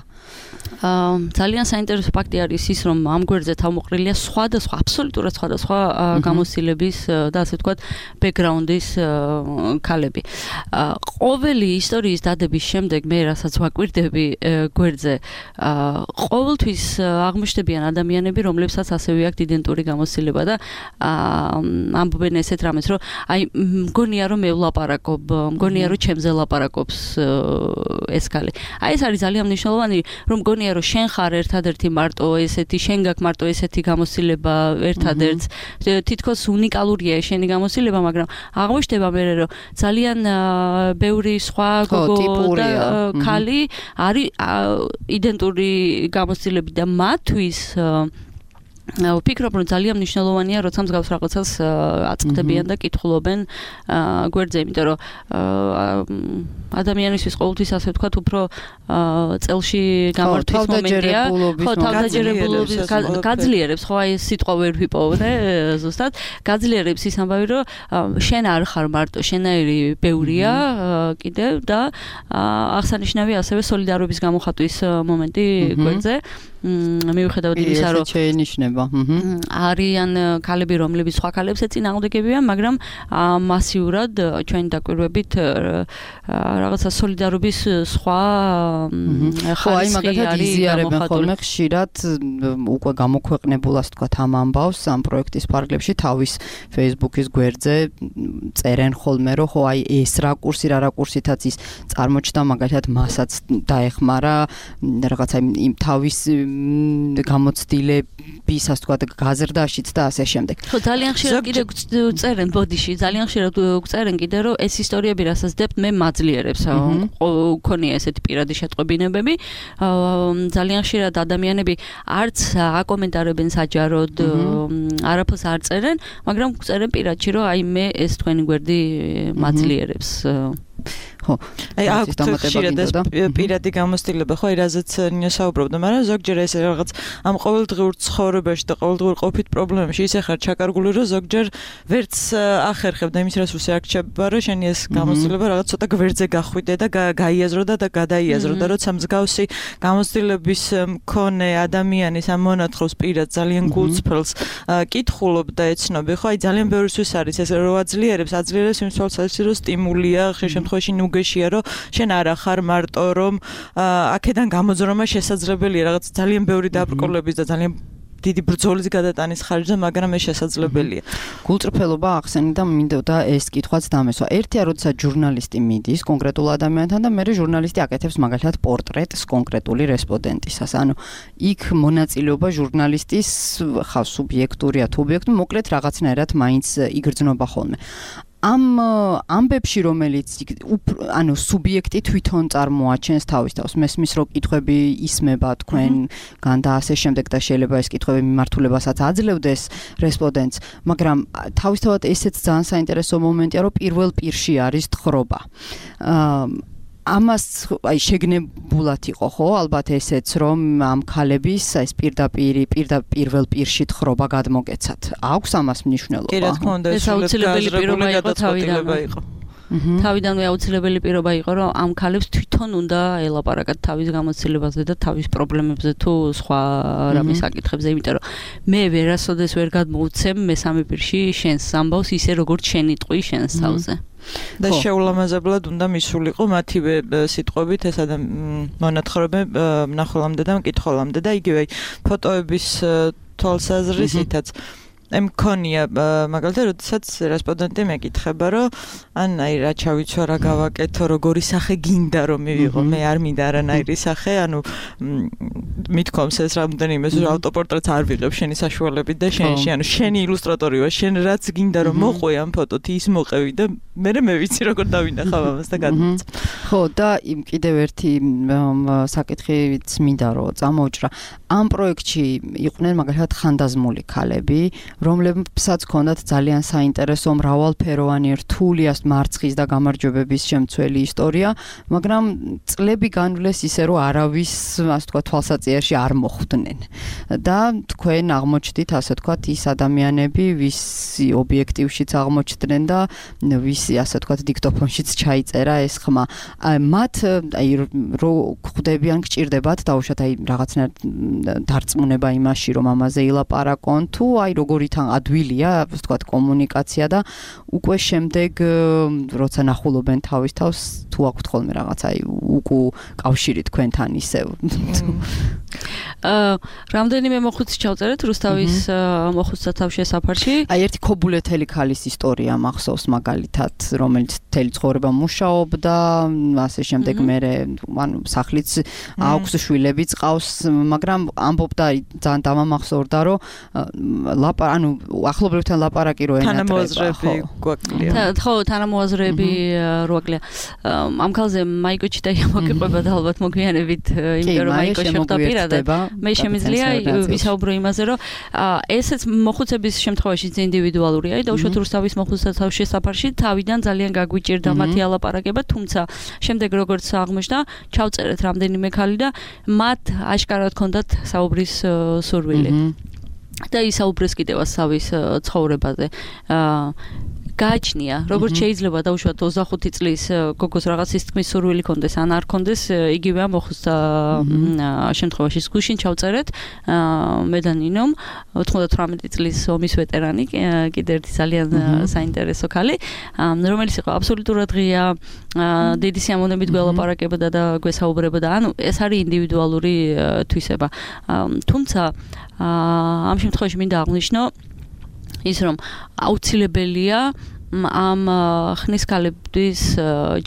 ძალიან საინტერესო ფაქტი არის ის, რომ ამ გვერდზე თავმოყრილია სხვადასხვა, აბსოლუტურად სხვადასხვა გამოცდილების და ასე ვთქვათ, ბექგრაუნდის ქალები. ყოველი ისტორიის დადების შემდეგ მე რასაც ვაკვირდები გვერდზე, ყოველთვის აღმოჩნდებიან ადამიანები, რომლებსაც ასევე აქვთ იდენტური გამოცდილება და ამბობენ ესეთ რამეს, რომ აი მგონია რომ მე ვლაპარაკობ, მგონია რომ ჩემზე ლაპარაკობს ეს ქალი. აი ეს არის ძალიან მნიშვნელოვანი, რომ მგონია რომ შენ ხარ ერთადერთი მარტო ესეთი, შენ გაქვს მარტო ესეთი გამოცდილება ერთადერთს, თითქოს უნიკალურია შენი გამოცდილება, მაგრამ აღმოჩნდება მე რომ ძალიან ბევრი სხვა გოგო და ქალი არის იდენტური გამოცდილები და მათთვის ვფიქრობ რომ ძალიან მნიშვნელოვანია როცა მსგავს რაღაცას აწყდებიან და კითხულობენ გვერდზე, იმიტომ რომ ადამიანისთვის ყოველთვის ასე ვთქვათ უფრო წელში გამართვის მომენტია, ხო, თავდაჯერებულობის გაძლიერებს, ხო, აი ეს სიტყვა ვერ ვიპოვე ზუსტად, გაძლიერებს ის ამბავი რომ შენ არ ხარ მარტო, შენაირი ბევრია კიდევ და აღსანიშნავია ასევე სოლიდარობის გამოხატვის მომენტი გვერდზე. მიუხედავად იმისა, რომ შეინიშნება. არიან ქალები, რომლებიც სხვა ქალებს ეწინააღმდეგებიან, მაგრამ მასიურად ჩვენი დაკვირვებით რაღაცა სოლიდარობის სხვა ხარისხი არის იზიარებენ ხოლმე ხშირად უკვე გამოქვეყნებულ ასე თქვა ამ ამბავს ამ პროექტის პარალელში თავის Facebook-ის გვერდზე წერენ ხოლმე რომ ხო აი ეს რა კურსი რა რა კურსითაც ის წარმოჩნდა მაგალითად მასაც დაეხმარა რაღაცა იმ თავის გამოცდილების ასე თქვა გაზრდაშიც და ასე შემდეგ. ხო ძალიან ხშირად კიდე წერენ ბოდიში ძალიან ხშირად წერენ კიდე რომ ეს ისტორიები რასაც დებთ მე მაძლიერებს ქონია ესეთი პირადი შეტყობინებები ძალიან ხშირად ადამიანები არც აკომენტარებენ საჯაროდ არაფერს არ წერენ მაგრამ წერენ პირადში რომ აი მე ეს თქვენი გვერდი მაძლიერებს ხო აი აქვთ ხშირად ეს პირადი გამოცდილება ხო აი რაზეც ნიოსაუბრობდა მაგრამ ზოგჯერ ეს რაღაც ამ ყოველდღიურ ცხოვრებაში და ყოველდღიურ ყოფით პრობლემებში ისე ხარ ჩაკარგული რომ ზოგჯერ ვერც ახერხებ და იმის რას უსიარჩება რომ შენი ეს გამოცდილება რაღაც ცოტა გვერდზე გახვიდე და გაიაზრო და გადაიაზრო და როცა მსგავსი გამოცდილების მქონე ადამიანის ამ მონათხრობს პირად ძალიან გულწრფელს კითხულობ და ეცნობი ხო აი ძალიან ბევრისთვის არის ეს რო აძლიერებს აძლიერებს იმ თვალსაზრისით რომ სტიმულია ხშირ შემთხვევაში ნუგეშია რომ შენ არა ხარ მარტო რომ აქედან გამოძრომა შესაძლებელია რაღაც ძალიან ბევრი დაბრკოლების და ძალიან დიდი ბრძოლის გადატანის ხარჯზე, მაგრამ ეს შესაძლებელია. გულწრფელობა ახსენე და მინდოდა ეს კითხვაც დამესვა. ერთია, როდესაც ჟურნალისტი მიდის კონკრეტულ ადამიანთან და მერე ჟურნალისტი აკეთებს მაგალითად პორტრეტს კონკრეტული რესპონდენტისას. ანუ იქ მონაწილეობა ჟურნალისტის ხავს სუბიექტურია თუ ობიექტური, მოკლედ რაღაცნაირად მაინც იგრძნობა ხოლმე. ამ ამბებში რომელიც ანუ სუბიექტი თვითონ წარმოაჩენს თავის თავს მესმის რომ კითხვები ისმება თქვენგან და ასე შემდეგ და შეიძლება ეს კითხვები მიმართულებასაც აძლევდეს რესპონდენტს მაგრამ თავისთავად ესეც ძალიან საინტერესო მომენტია რომ პირველ პირში არის თხრობა ამას აი შეგნებულად იყო ხო ალბათ ესეც რომ ამ ქალების ეს პირდაპირ პირველ პირში თხრობა გადმოგეცათ აქვს ამას მნიშვნელობა კი რა თქმა უნდა ეს აუცილებელი პირობა იყო თავიდანვე იყო თავიდანვე აუცილებელი პირობა იყო რომ ამ ქალებს თვითონ უნდა ელაპარაკათ თავის გამოცდილებაზე და თავის პრობლემებზე თუ სხვა რამის საკითხებზე იმიტომ რომ მე ვერასოდეს ვერ გადმოვცემ მესამე პირში შენს ამბავს ისე როგორც შენი ტყვი შენს თავზე და შეულამაზებლად უნდა მისულიყო მათივე სიტყვებით ეს მონათხრობები მნახველამდე და მკითხველამდე და იგივე ფოტოების თვალსაზრისითაც მქონია მაგალითად როდესაც რესპონდენტი მეკითხება რომ ან აი რა ჩავიცვა რა გავაკეთო როგორი სახე გინდა რომ მივიღო მე არ მინდა არანაირი სახე ანუ მithkoms ეს რამდენიმე ავტოპორტრეტს არ ვიღებ შენი საშუალებით და შენში ანუ შენი ილუსტრატორი ვარ შენ რაც გინდა რომ მოყვე ამ ფოტოთი ის მოყევი და მე მე ვიცი როგორ დავინახავ ამას და გადმოწ ხო და იმ კიდევ ერთი საკითხიც მინდა რომ წამოვჭრა ამ პროექტში იყვნენ მაგალითად ხანდაზმული ქალები რომლებსაც ჰქონდათ ძალიან საინტერესო მრავალფეროვანი რთული მარცხის და გამარჯვებების შემცველი ისტორია, მაგრამ წლები განვლეს ისე რომ არავის, ასე თქვა, თვალსაჩინოში არ მოხვდნენ. და თქვენ აღმოჩნდით, ასე თქვა, ის ადამიანები, ვისი ობიექტივშიც აღმოჩნდნენ და ვისი, ასე თქვა, დიქტოფონშიც ჩაიწერა ეს ხმა. მათ აი რო ხვდებიან, გჭირდებათ დაუშვათ აი რაღაცნაირად დარწმუნება იმაში, რომ ამაზე ილაპარაკონ, თუ აი როგორი თან ადვილია, ასე თქვა, კომუნიკაცია და უკვე შემდეგ როცა ნახულობენ თავის თავს თუ აქვთ ხოლმე რაღაცა უკუ კავშირი თქვენთან ისევ აა რამდენიმე მოხუცი ჩავწერეთ რუსთავის მოხუცთა თავშესაფარში აი ერთი ქობულეთელი ქალის ისტორია მახსოვს მაგალითად რომელიც თელი ცხოვრება მუშაობდა ასე შემდეგ მე ანუ სახლიც აქვს შვილებიც ყავს მაგრამ ამბობდა ძალიან დამამახსოვრდა რომ ლაპა ანუ ახლობლებთან ლაპარაკი რო ენატრება ხო ხო თანამოაზრეები როაკლია ამ ქალზე მაიკოჩი და მოგიყვება და ალბათ მოგვიანებით იმიტომ რომ მაიკო შეხვდა პირადად მე შემიძლია ვისაუბრო იმაზე რომ ესეც მოხუცების შემთხვევაში ინდივიდუალურია და უშუალოდ რუსთავის მოხუცთა თავშესაფარში თავიდან ძალიან გაგვიჭირდა მათი ალაპარაკება თუმცა შემდეგ როგორც აღმოჩნდა ჩავწერეთ რამდენიმე ქალი და მათ აშკარად ჰქონდათ საუბრის სურვილი და ისაუბრეს კიდევ სავის ცხოვრებაზე გააჩნია, როგორც შეიძლება დაუშვათ ოცდახუთი წლის გოგოს რაღაც სისხლის სურვილი კონდეს ან არ კონდეს, იგივეა მოხს შემთხვევაში გუშინ ჩავწერეთ მე და ნინომ ოთხმოცდათვრამეტი წლის ომის ვეტერანი, კიდე ერთი ძალიან საინტერესო ქალი, რომელიც იყო აბსოლუტურად ღია, დიდი სიამოვნებით გველაპარაკებოდა და გვესაუბრებოდა, ანუ ეს არის ინდივიდუალური თვისება. თუმცა ამ შემთხვევაში მინდა აღვნიშნო ის რომ აუცილებელია ამ ხნის ქალების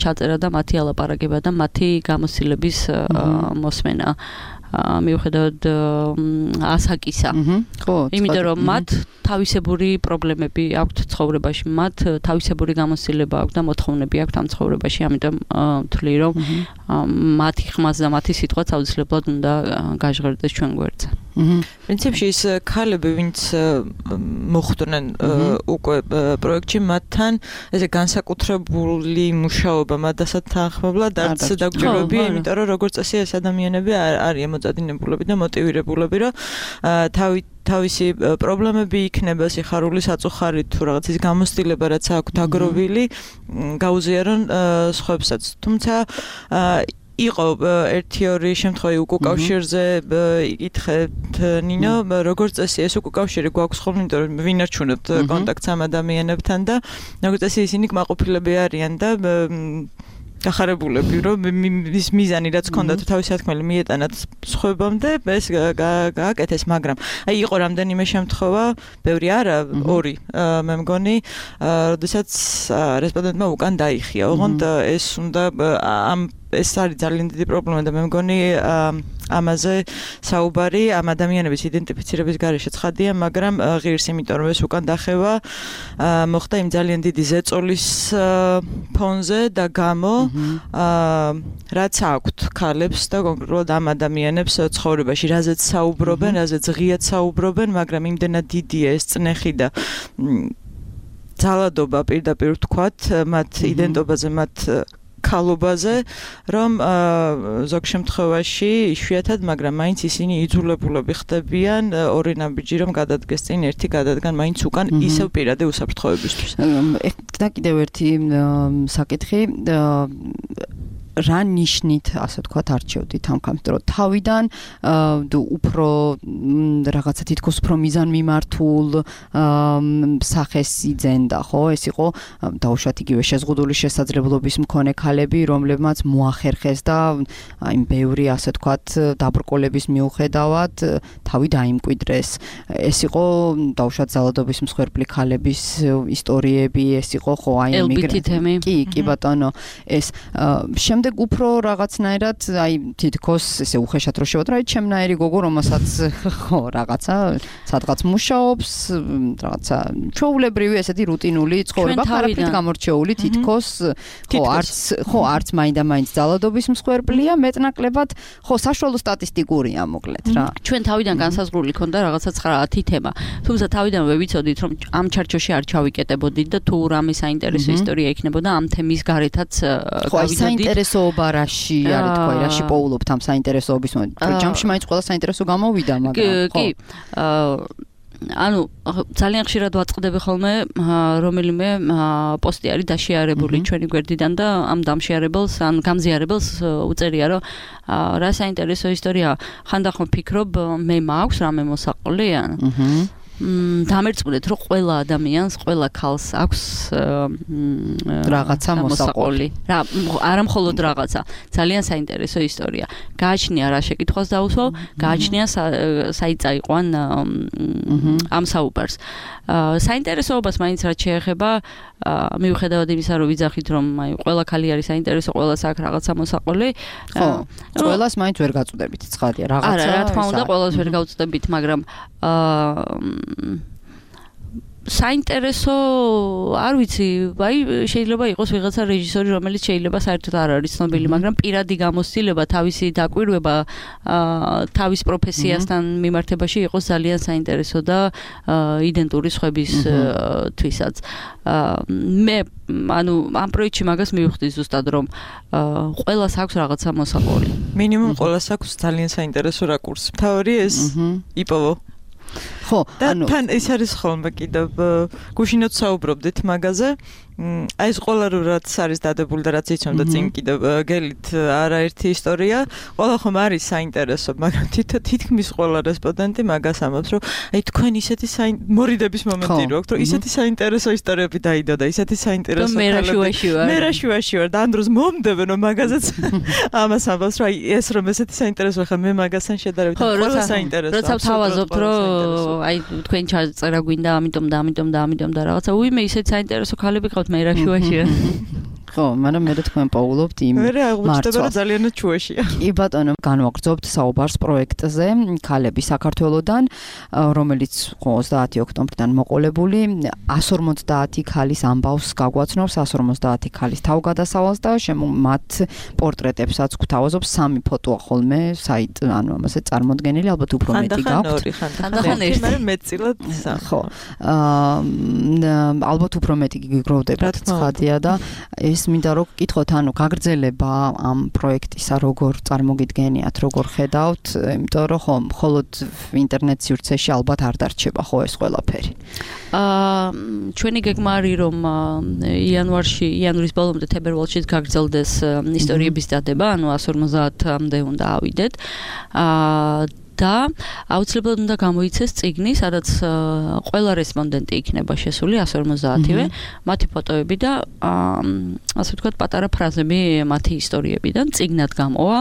ჩაწერა და მათი ალაპარაკება და მათი გამოცდილების მოსმენა მიუხედავად ასაკისა. ხო, იმიტომ რომ მათ თავისებური პრობლემები აქვთ ცხოვრებაში, მათ თავისებური გამოცდილება აქვთ და მოთხოვნები აქვთ ამ ცხოვრებაში, ამიტომ ვთვლი რომ მათი ხმაც და მათი სიტყვაც აუცილებლად უნდა გაჟღერდეს ჩვენ გვერდზე. პრინციპში ის ქალები, ვინც მოხვდნენ უკვე პროექტში, მათთან ესე განსაკუთრებული მუშაობა მათდასაც თანხმობლად არც დაგვიჭირებია, იმიტომ რომ როგორც წესი ეს ადამიანები არიან მოწადინებულები და მოტივირებულები, რომ თავი თავისი პრობლემები იქნება სიხარული საწუხარი თუ რაღაც ის გამოცდილება რაც აქვს დაგროვილი გაუზიარონ სხვებსაც. თუმცა იყო ერთი ორი შემთხვევა უკავშირზე იკითხეთ ნინო, როგორც წესი ეს უკავშირი გვაქვს ხოლმე, იმიტომ რომ ვინარჩუნებთ კონტაქტს ამ ადამიანებთან და როგორც წესი ისინი კმაყოფილები არიან და გახარებულები რომ ის მიზანი რაც ჰქონდათ თავისი თქმელი მიეტანათ სხვებამდე ეს გააკეთეს, მაგრამ აი იყო რამდენიმე შემთხვევა, ბევრი არა, ორი მე მგონი, როდესაც რესპონდენტმა უკან დაიხია. ოღონდ ეს უნდა ამ ეს არის ძალიან დიდი პრობლემა და მე მგონი ამაზე საუბარი ამ ადამიანების იდენტიფიცირების გარეშე ცხადია, მაგრამ ღირს, იმიტომ რომ ეს უკან დახევა მოხდა იმ ძალიან დიდი ზეწოლის ფონზე და გამო რაც აქვთ ქალებს და კონკრეტულად ამ ადამიანებს ცხოვრებაში, რაზეც საუბრობენ, რაზეც ღიად საუბრობენ, მაგრამ იმდენად დიდია ეს წნეხი და ძალადობა პირდაპირ ვთქვათ მათ იდენტობაზე, მათ ქალობაზე, რომ ზოგ შემთხვევაში იშვიათად, მაგრამ მაინც ისინი იძულებულები ხდებიან ორი ნაბიჯი რომ გადადგეს წინ, ერთი გადადგან მაინც უკან ისევ პირადი უსაფრთხოებისთვის. და კიდევ ერთი საკითხი, რა ნიშნით, ასე ვთქვათ, არჩევდით ამ კამპანიას, რომ თავიდან უფრო რაღაცა თითქოს უფრო მიზანმიმართულ სახეს იძენდა, ხო? ეს იყო დაუშვათ იგივე შეზღუდული შესაძლებლობის მქონე ქალები, რომლებმაც მოახერხეს და აი ბევრი ასე ვთქვათ დაბრკოლების მიუხედავად თავი დაიმკვიდრეს. ეს იყო დაუშვათ ძალადობის მსხვერპლი ქალების ისტორიები, ეს იყო ხო აი ემიგრანტები. კი, კი ბატონო, ეს შემდეგ უფრო რაღაცნაირად აი თითქოს ესე უხეშად რო შევადრა, აი ჩემნაირი გოგო, რომელსაც ხო რაღაცა სადღაც მუშაობს, რაღაცა ჩვეულებრივი ესეთი რუტინული ცხოვრება, არაფრით გამორჩეული თითქოს ხო არც ხო არც მაინდა-მაინც ძალადობის მსხვერპლია, მეტნაკლებად ხო საშუალო სტატისტიკურია მოკლედ რა. ჩვენ თავიდან განსაზღვრული ქონდა რაღაცა ცხრა-ათი თემა. თუმცა თავიდანვე ვიცოდით რომ ამ ჩარჩოში არ ჩავიკეტებოდით და თუ რამე საინტერესო ისტორია იქნებოდა ამ თემის გარეთაც გავიდოდით. საინტერესოობაში არის თქვა, რაში პოულობთ ამ საინტერესოობის მომენტ. ჯამში მაინც ყველა საინტერესო გამოვიდა, მაგრამ ხო. კი, ანუ ძალიან ხშირად ვაწყდები ხოლმე რომელიმე პოსტი არის დაშიარებული ჩვენი გვერდიდან და ამ დამშიარებელს ან გამზიარებელს უწერია რომ რა საინტერესო ისტორია, ხანდახან ვფიქრობ მე მაქვს რამე მოსაყოლე ან დამერწმუნეთ რომ ყველა ადამიანს, ყველა ქალს აქვს რაღაცა მოსაყოლი. რა, არა მხოლოდ რაღაცა, ძალიან საინტერესო ისტორია. გააჩნია რა შეკითხვას დაუსვავ, გააჩნია საიტაიყვან ამ საუბარს. საინტერესოობას მაინც რაც შეეხება, მიუხედავად იმისა, რომ ვიძახით, რომ აი ყველა ქალი არის საინტერესო, ყველას აქვს რაღაცა მოსაყოლი. ხო, ყველას მაინც ვერ გაწვდებით, ცხადია, რაღაცა. არა, რა თქმა უნდა, ყველას ვერ გავწვდებით, მაგრამ აა საინტერესო არ ვიცი, აი შეიძლება იყოს ვიღაცა რეჟისორი, რომელიც შეიძლება საერთოდ არ არის ცნობილი, მაგრამ პირადი გამოცდილება, თავისი დაკვირვება თავის პროფესიასთან მიმართებაში იყოს ძალიან საინტერესო და იდენტური სხვების თვისაც. მე ანუ ამ პროექტში მაგას მივხვდი ზუსტად რომ ყველას აქვს რაღაცა მოსაყოლი. მინიმუმ ყველას აქვს ძალიან საინტერესო რაკურსი. თავი ეს იპოვო. ხო, ანუ თან ეს არის ხოლმე კიდევ გუშინაც საუბრობდით მაგაზე. აი ეს ყველა რაც არის დადებული და რაც იცნობდა წინ კიდევ გელით არაერთი ისტორია, ყველა ხომ არის საინტერესო, მაგრამ თითქმის ყველა რესპონდენტი მაგას ამბობს, რომ აი თქვენ ისეთი მორიდების მომენტი რო აქვს, რომ ისეთი საინტერესო ისტორიები დაიდო და ისეთი საინტერესო მე რა შუაში ვარ. მე რა შუაში ვარ და ამ დროს მომდებენ რომ მაგაზეც ამას ამბობს, რომ აი ეს რომ ესეთი საინტერესო ხა მე მაგასთან შედარებით ყველა საინტერესო. როცა თავაზობთ რომ აი თქვენ ჩაწერა გვინდა ამიტომ და ამიტომ და ამიტომ და რაღაცა უიმე ისეთი საინტერესო ქალები ყავთ მე რა შუაშია. ხო, მაგრამ მე თქვენ პაულობთ იმ მე აღმოჩნდება რომ ძალიანაც შუაშია. კი ბატონო, განვაგრძობთ საუბარს პროექტზე ქალები საქართველოსდან, რომელიც ოცდაათი ოქტომბრიდან მოყოლებული εκατს ორმოცდაათი ქალის ამბავს გაგვაცნობს, εκατს ორმოცდაათი ქალის თავგადასავალს და მათ პორტრეტებსაც გვთავაზობს სამი ფოტოა ხოლმე საით, ანუ ამაზე წარმოდგენილი, ალბათ უფრო მეტი გაქვთ. ხანდახან ერთი, მაგრამ მეტწილად სამი. ხო. ალბათ უფრო მეტი გიგროვდებათ, ცხადია და ეს მინდა რომ გკითხოთ, ანუ გაგრძელება ამ პროექტისა როგორ წარმოგიდგენიათ, როგორ ხედავთ, იმიტომ რომ ხო, მხოლოდ ინტერნეტ სივრცეში ალბათ არ დარჩება ხო ეს ყველაფერი. აა ჩვენი გეგმა არის რომ იანვარში, იანვრის ბოლომდე თებერვალში გაგრძელდეს ისტორიების დადება, ანუ εκατს ორმოცდაათამდე უნდა ავიდეთ. აა და აუცილებლად უნდა გამოიცეს წიგნი, სადაც ყველა რესპონდენტი იქნება შესული εκατს ორმოცდაათივე, მათი ფოტოები და ასე ვთქვათ პატარა ფრაზები მათი ისტორიებიდან წიგნად გამოვა,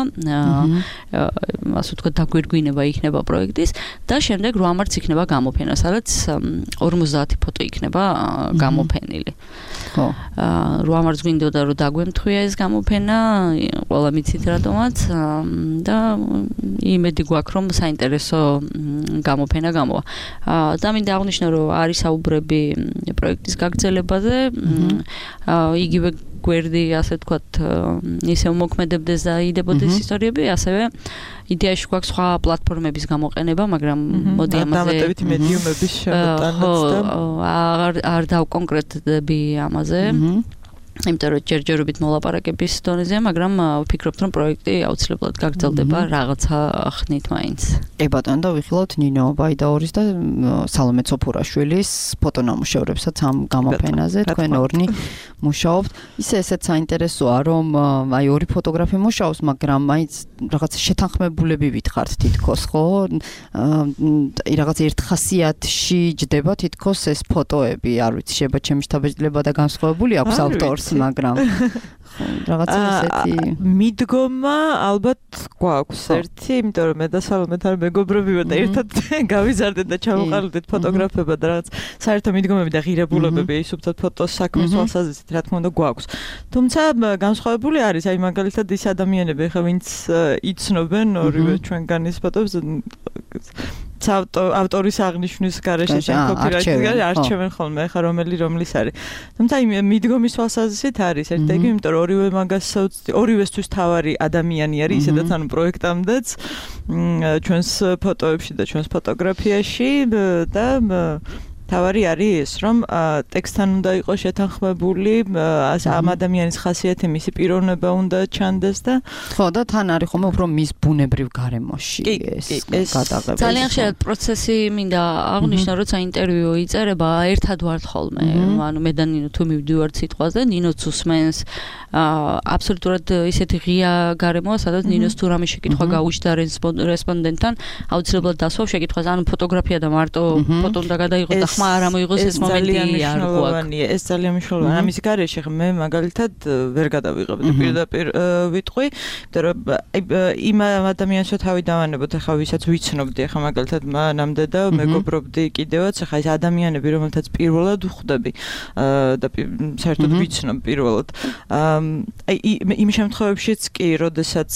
ასე ვთქვათ დაგვირგვინება იქნება პროექტის და შემდეგ რვა მარტს იქნება გამოფენა, სადაც ორმოცდაათი ფოტო იქნება გამოფენილი. ხო. რვა მარტს გვინდოდა რომ დაგვემთხვია ეს გამოფენა, ყველა მიცით რატომაც და იმედი გვაქვს რომ საინტერესო გამოფენა გამოვა. და მინდა აღნიშნო, რომ არის საუბრები პროექტის გაგრძელებაზე, იგივე გვერდი, ასე ვთქვათ, ისევ მოქმედებდეს და იდებოდეს ისტორიები, ასევე იდეაში გვაქვს სხვა პლატფორმების გამოყენება, მაგრამ მოდი ამაზე დამატებითი მედიუმების შემოტანაც და არ არ დავკონკრეტდები ამაზე. იმიტომ რომ ჯერჯერობით მოლაპარაკების დონეზე, მაგრამ ვფიქრობთ რომ პროექტი აუცილებლად გაგრძელდება რაღაცა ხნით მაინც. კი ბატონო, და ვიხილავთ ნინო ბაიდაურის და სალომე ცოფურაშვილის ფოტონამუშევრებსაც ამ გამოფენაზე, თქვენ ორნი მუშაობთ. ისე ესეც საინტერესოა, რომ აი ორი ფოტოგრაფი მუშაობს, მაგრამ მაინც რაღაც შეთანხმებულები ვითხრათ თითქოს, ხო? აი რაღაც ერთ ხასიათში ჯდება თითქოს ეს ფოტოები, არ ვიცი, შეიძლება ჩემი შთაბეჭდილება და განსხვავებული აქვს ავტორს, მაგრამ რაღაცა ესეთი მიდგომა ალბათ გვაქვს ერთი, იმიტომ რომ მე და სალომე თან მეგობრები ვართ და ერთად გავიზარდეთ და ჩავუყალიბდით ფოტოგრაფება და რაღაც საერთო მიდგომები და ღირებულებები ის უბრალოდ ფოტოს საქმის თვალსაზრისით რა თქმა უნდა გვაქვს. თუმცა განსხვავებული არის, აი მაგალითად ის ადამიანები, ხა ვინც იცნობენ ორივე ჩვენგანის ფოტოებს ავტორის აღნიშვნის გარეშე ან კოპირაიტის გარეშე არჩევენ ხოლმე, ხა რომელი რომლის არის. თუმცა იმ მიდგომის თვალსაზრისით არის ერთ ეგ, იმიტომ რომ ორივე მაგას ორივესთვის თავარი ადამიანი არის, ისედაც ანუ პროექტამდეც ჩვენს ფოტოებში და ჩვენს ფოტოგრაფიაში და თავარი არის ეს, რომ ტექსტთან უნდა იყოს შეთანხმებული, ამ ადამიანის ხასიათი, მისი პიროვნება უნდა ჩანდეს და ხო, და თან არის ხოლმე უფრო მის ბუნებრივ გარემოში ეს გადაღება. ძალიან ხშირად პროცესი მინდა აღნიშნო, როცა ინტერვიუ იწერება, ერთად ვართ ხოლმე, ანუ მე და ნინო თუ მივდივართ სიტყვაზე, ნინოც უსმენს, აბსოლუტურად ისეთი ღია გარემოა, სადაც ნინოს თუ რამე შეკითხვა გაუჩნდა რესპონდენტთან, აუცილებლად დასვავს შეკითხვას, ანუ ფოტოგრაფია და მარტო ფოტო უნდა გადაიღოს და ხმა არ ამოიღოს ეს მომენტი არ გვაქვს. ეს ძალიან მნიშვნელოვანია. ამის გარეშე მე მაგალითად ვერ გადავიღებდი პირდაპირ ვიტყვი, იმიტომ რომ იმ ადამიანს თავი დავანებოთ, ახლა ვისაც ვიცნობდი, ახლა მაგალითად მანამდე და მეგობრობდი კიდევაც, ახლა ეს ადამიანები, რომელთაც პირველად ვხვდები და საერთოდ ვიცნობ პირველად. აი იმ შემთხვევებშიც კი, როდესაც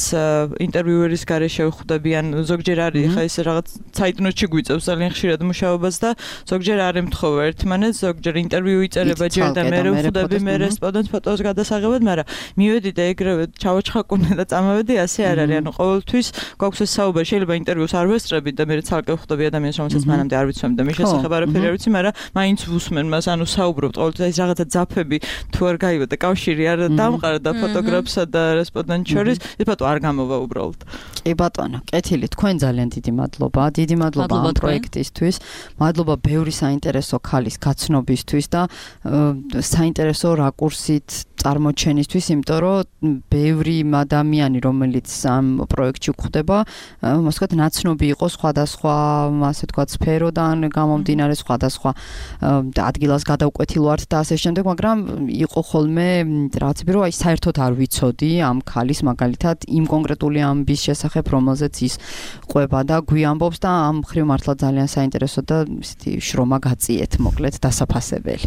ინტერვიუერის გარეშე ვხვდები, ან ზოგჯერ არის, ახლა ეს რაღაც საიტნოტში გვიწევს ძალიან ხშირად მუშაობას და ზოგჯერ არ ემთხოვა ერთმანეთს, ზოგჯერ ინტერვიუ იწერება ჯერ და მე ვხვდები მე რესპონდენტ ფოტოს გადასაღებად, მაგრამ მივედი და ეგრევე ჩავაჩხაკუნე და წამოვედი, ასე არ არის. ანუ ყოველთვის გვაქვს ეს საუბარი, შეიძლება ინტერვიუს არ ვესწრებით და მე ცალკე ვხვდები ადამიანს, რომელსაც მანამდე არ ვიცნობ და მის შესახებ არაფერი არ ვიცი, მაგრამ მაინც ვუსმენ მას, ანუ საუბრობთ ყოველთვის ეს რაღაცა ძაფები თუ არ გაივა და კავშირი არ დამყარდა ფოტოგრაფსა და რესპონდენტ შორის, ეს ფოტო არ გამოვა უბრალოდ. კი ბატონო, კეთილი, თქვენ ძალიან დიდი მადლობა, დიდი მადლობა ამ პროექტისთვის. მადლობა ბევრი საინტერესო ქალის გაცნობისთვის და საინტერესო რაკურსით წარმოჩენისთვის, იმიტომ რომ ბევრი ადამიანი, რომელიც ამ პროექტში გვხვდება, მოსკოთ ნაცნობი იყო სხვადასხვა, ასე ვთქვათ, სფეროდან გამომდინარე სხვადასხვა ადგილას გადავკვეთილვართ და ასე შემდეგ, მაგრამ იყო ხოლმე რაღაცები, რომ აი საერთოდ არ ვიცოდი ამ ქალის მაგალითად იმ კონკრეტული ამბის შესახებ, რომელზეც ის ყვება და გვიამბობს და ამ მხრივ მართლა ძალიან საინტერესო და ისეთი შრომა გაწიეთ, მოკლედ დასაფასებელი.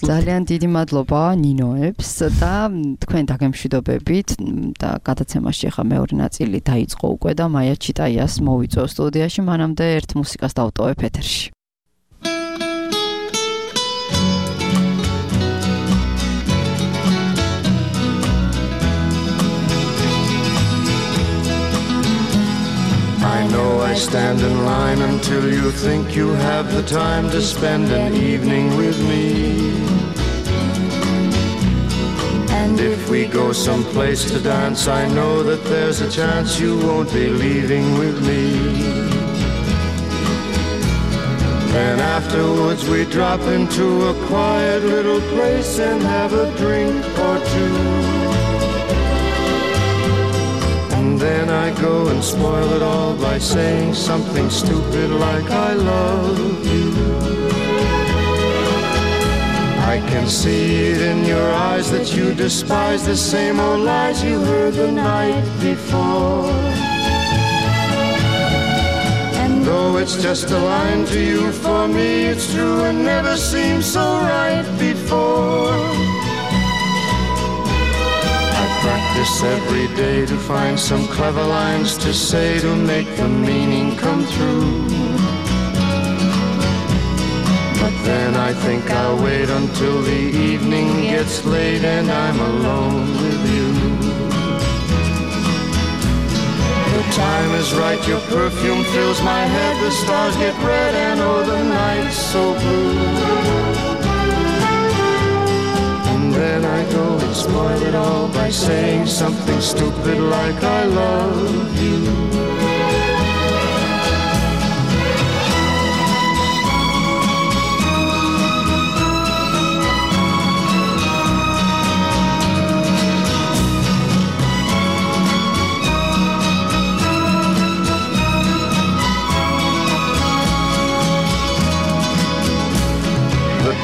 ძალიან დიდი მადლობა ნინოებს და თქვენ დაგემშვიდობებით და გადაცემაში ახლა მეორე ნაწილი დაიწყო უკვე და მაია ჩიტაიას მოვიწვევ სტუდიაში, მანამდე ერთ მუსიკას დავტოვებ ეთერში. I know I stand in line until you think you have the time to spend an evening with me. And if we go someplace to dance, I know that there's a chance you won't be leaving with me. Then afterwards we drop into a quiet little place and have a drink or two. And then I go and spoil it all by saying something stupid like I love you. I can see it in your eyes that you despise the same old lies you heard the night before. And though it's just a line to you, for me it's true and never seemed so right before. I practice every day to find some clever lines to say to make the meaning come through. But then I think I'll wait until the evening gets late and I'm alone with you. The time is right, your perfume fills my head, the stars get red and oh the night's so blue. And then I go and spoil it all by saying something stupid like I love you.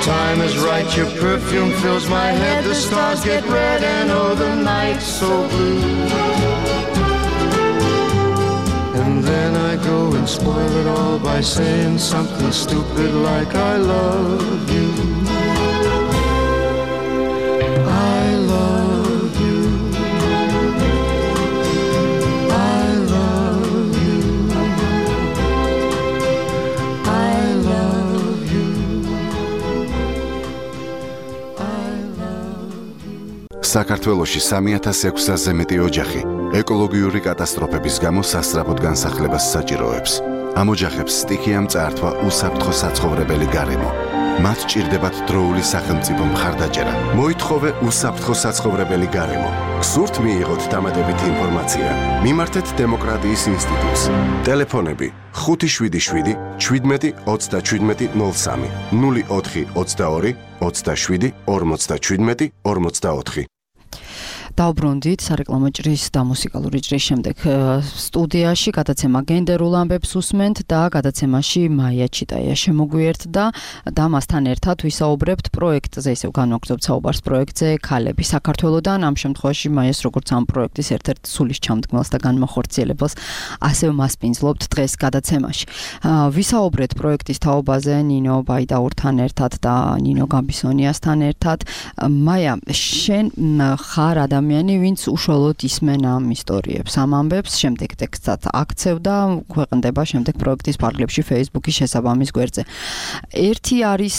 Time is right, your perfume fills my head, the stars get red and oh the night's so blue. And then I go and spoil it all by saying something stupid like I love you. I love you. I love you. I love you. საქართველოში სამი ათას ექვსასზე მეტი ოჯახი ეკოლოგიური კატასტროფების გამო სასწრაფოდ განსახლებას საჭიროებს. ამ ოჯახებს სტიქიამ წაართვა უსაფრთხო საცხოვრებელი გარემო. მათ ჭირდებათ დროული სახელმწიფო მხარდაჭერა. მოითხოვე უსაფრთხო საცხოვრებელი გარემო. გსურთ მიიღოთ დამატებითი ინფორმაცია? მიმართეთ დემოკრატიის ინსტიტუტს. ტელეფონები ხუთი შვიდი შვიდი შვიდმეტი ოცდაშვიდმეტი ნულ სამი ნული ოთხი ოცდაორი ოცდაშვიდი ორმოცდაშვიდმეტი ორმოცდაოთხი. დავბრუნდით სარეკლამო ჭრის და მუსიკალური ჭრის შემდეგ სტუდიაში გადაცემა გენდერულ ამბებს უსმენთ და გადაცემაში მაია ჩიტაია შემოგვიერთდა და მასთან ერთად ვისაუბრებთ პროექტზე, ისევ განვაგრძობთ საუბარს პროექტზე ქალები საქართველოდან. ამ შემთხვევაში მაიას როგორც ამ პროექტის ერთ-ერთ სულის ჩამდგმელს და განმახორციელებელს ასევე მასპინძლობთ დღეს გადაცემაში. ვისაუბრეთ პროექტის თაობაზე ნინო ბაიდაურთან ერთად და ნინო გამბისონიასთან ერთად. მაია, შენ ხარ ადამიანი ადამიანი, ვინც უშუალოდ ისმენ ამ ისტორიებს, ამ ამბებს, შემდეგ ტექსტად აქცევდა, ქვეყნდება შემდეგ პროექტის ფარგლებში Facebook-ის შესაბამის გვერდზე. ერთი არის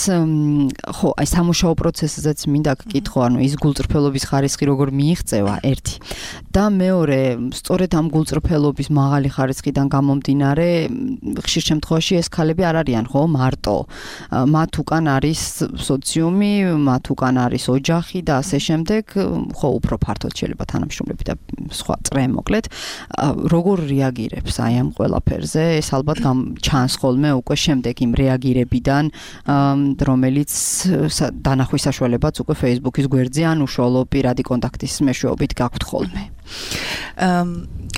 ხო, აი სამუშაო პროცესზეც მინდა გკითხო, ანუ ის გულწრფელობის ხარისხი როგორ მიიღწევა, ერთი. და მეორე, სწორედ ამ გულწრფელობის მაღალი ხარისხიდან გამომდინარე, ხშირ შემთხვევაში ეს ქალები არ არიან, ხო, მარტო. მათ უკან არის სოციუმი, მათ უკან არის ოჯახი და ასე შემდეგ, ხო, უფრო ფართოდ შეიძლება თანამშრომლები და სხვა წრე მოკლედ, როგორ რეაგირებს აი ამ ყველაფერზე? ეს ალბათ ჩანს ხოლმე უკვე შემდეგ იმ რეაგირებიდან, რომელიც დანახვის საშუალებაც უკვე Facebook-ის გვერდზე ან უშუალო პირადი კონტაქტის მეშვეობით გაქვთ ხოლმე.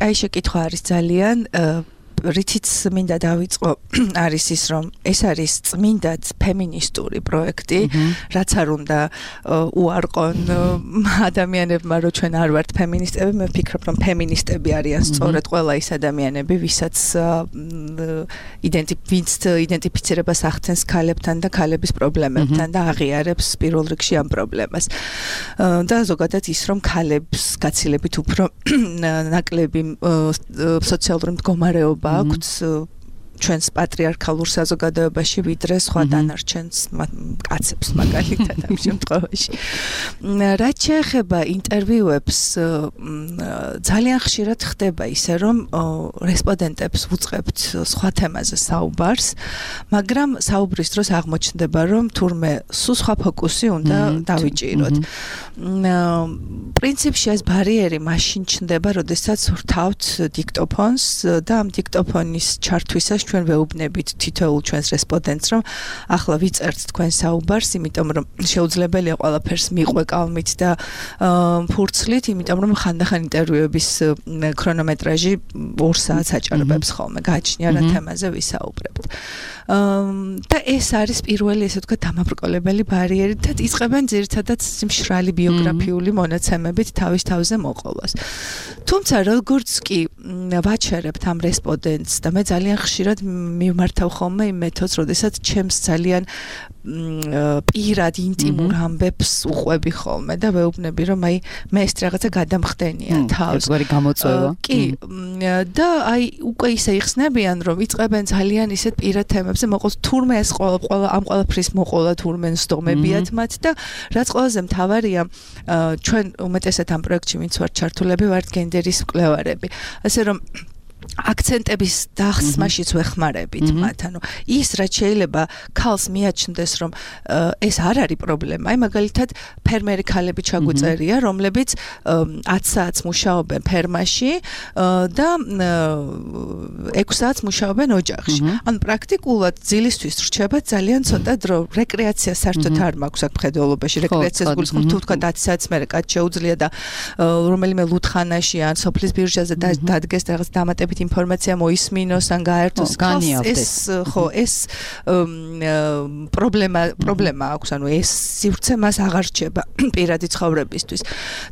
აი შეკითხვა არის ძალიან რითიც მინდა დავიწყო არის ის რომ ეს არის წმინდად ფემინისტური პროექტი, რაც არ უნდა უარყონ ადამიანებმა, რომ ჩვენ არ ვართ ფემინისტები, მე ვფიქრობ რომ ფემინისტები არიან სწორედ ყველა ის ადამიანები, ვისაც იდენტიფიცირებას ახდენს ქალებთან და ქალების პრობლემებთან და აღიარებს პირველ რიგში ამ პრობლემას. და ზოგადად ის რომ ქალებს გაცილებით უფრო ნაკლები სოციალური მდგომარეობა აქვს ჩვენს პატრიარქალურ საზოგადოებაში ვიდრე სხვა დანარჩენს კაცებს მაგალითად ამ შემთხვევაში. რაც შეეხება ინტერვიუებს, ძალიან ხშირად ხდება ისე, რომ რესპონდენტებს ვუწყებთ სხვა თემაზე საუბარს, მაგრამ საუბრის დროს აღმოჩნდება, რომ თურმე სულ სხვა ფოკუსი უნდა დავიჭიროთ. პრინციპში ეს ბარიერი მაშინ ჩნდება, როდესაც ვრთავთ დიქტოფონს და ამ დიქტოფონის ჩართვისას ჩვენ ვეუბნებით თითოეულ ჩვენს რესპონდენტს, რომ ახლა ვიწერთ თქვენ საუბარს, იმიტომ რომ შეუძლებელია ყველაფერს მიყვე კალმით და ფურცლით, იმიტომ რომ ხანდახან ინტერვიუების ქრონომეტრაჟი ორ საათს აჭარბებს ხოლმე, გააჩნია რა თემაზე ვისაუბრებთ. და ეს არის პირველი, ესე ვთქვათ, დამაბრკოლებელი ბარიერი და იწყებენ ძირითადად მშრალი ბიოგრაფიული მონაცემებით თავის თავზე მოყოლას. თუმცა როგორც კი ვაჩერებთ ამ რესპონდენტს და მე ძალიან ხშირად მიმართავ ხოლმე იმ მეთოდს, როდესაც ჩემს ძალიან პირად ინტიმურ ამბებს უყვები ხოლმე და ვეუბნები, რომ აი მე ეს რაღაცა გადამხდენია თავს. ერთგვარი გამოწვევა. კი, და აი უკვე ისე იხსნებიან, რომ იწყებენ ძალიან ისეთ პირად თემებზე მოყოლს, თურმე ეს ყველა ამ ყველაფრის მოყოლა თურმე სდომებიათ მათ და რაც ყველაზე მთავარია, ჩვენ უმეტესად ამ პროექტში ვინც ვართ ჩართულები, ვართ გენდერის მკვლევარები. ასე რომ აქცენტების დახსმაშიც ვეხმარებით მათ. ანუ ის რაც შეიძლება ქალს მიაჩნდეს, რომ ეს არ არის პრობლემა. აი მაგალითად ფერმერი ქალები ჩაგვიწერია, რომლებიც ათ საათს მუშაობენ ფერმაში და ექვს საათს მუშაობენ ოჯახში. ანუ პრაქტიკულად ძილისთვის რჩება ძალიან ცოტა დრო. რეკრეაცია საერთოდ არ მაქვს აქ მხედველობაში. რეკრეაციას გულისხმობ თუ თქვა ათ საათს მერე კაც შეუძლია და რომელიმე ლუდხანაში ან სოფლის ბირჟაზე დადგეს რაღაც დამატებით ინფორმაცია მოისმინოს ან გაერთოს. ეს ხო ეს პრობლემა პრობლემა აქვს, ანუ ეს სივრცე მას აღარ რჩება პირადი ცხოვრებისთვის.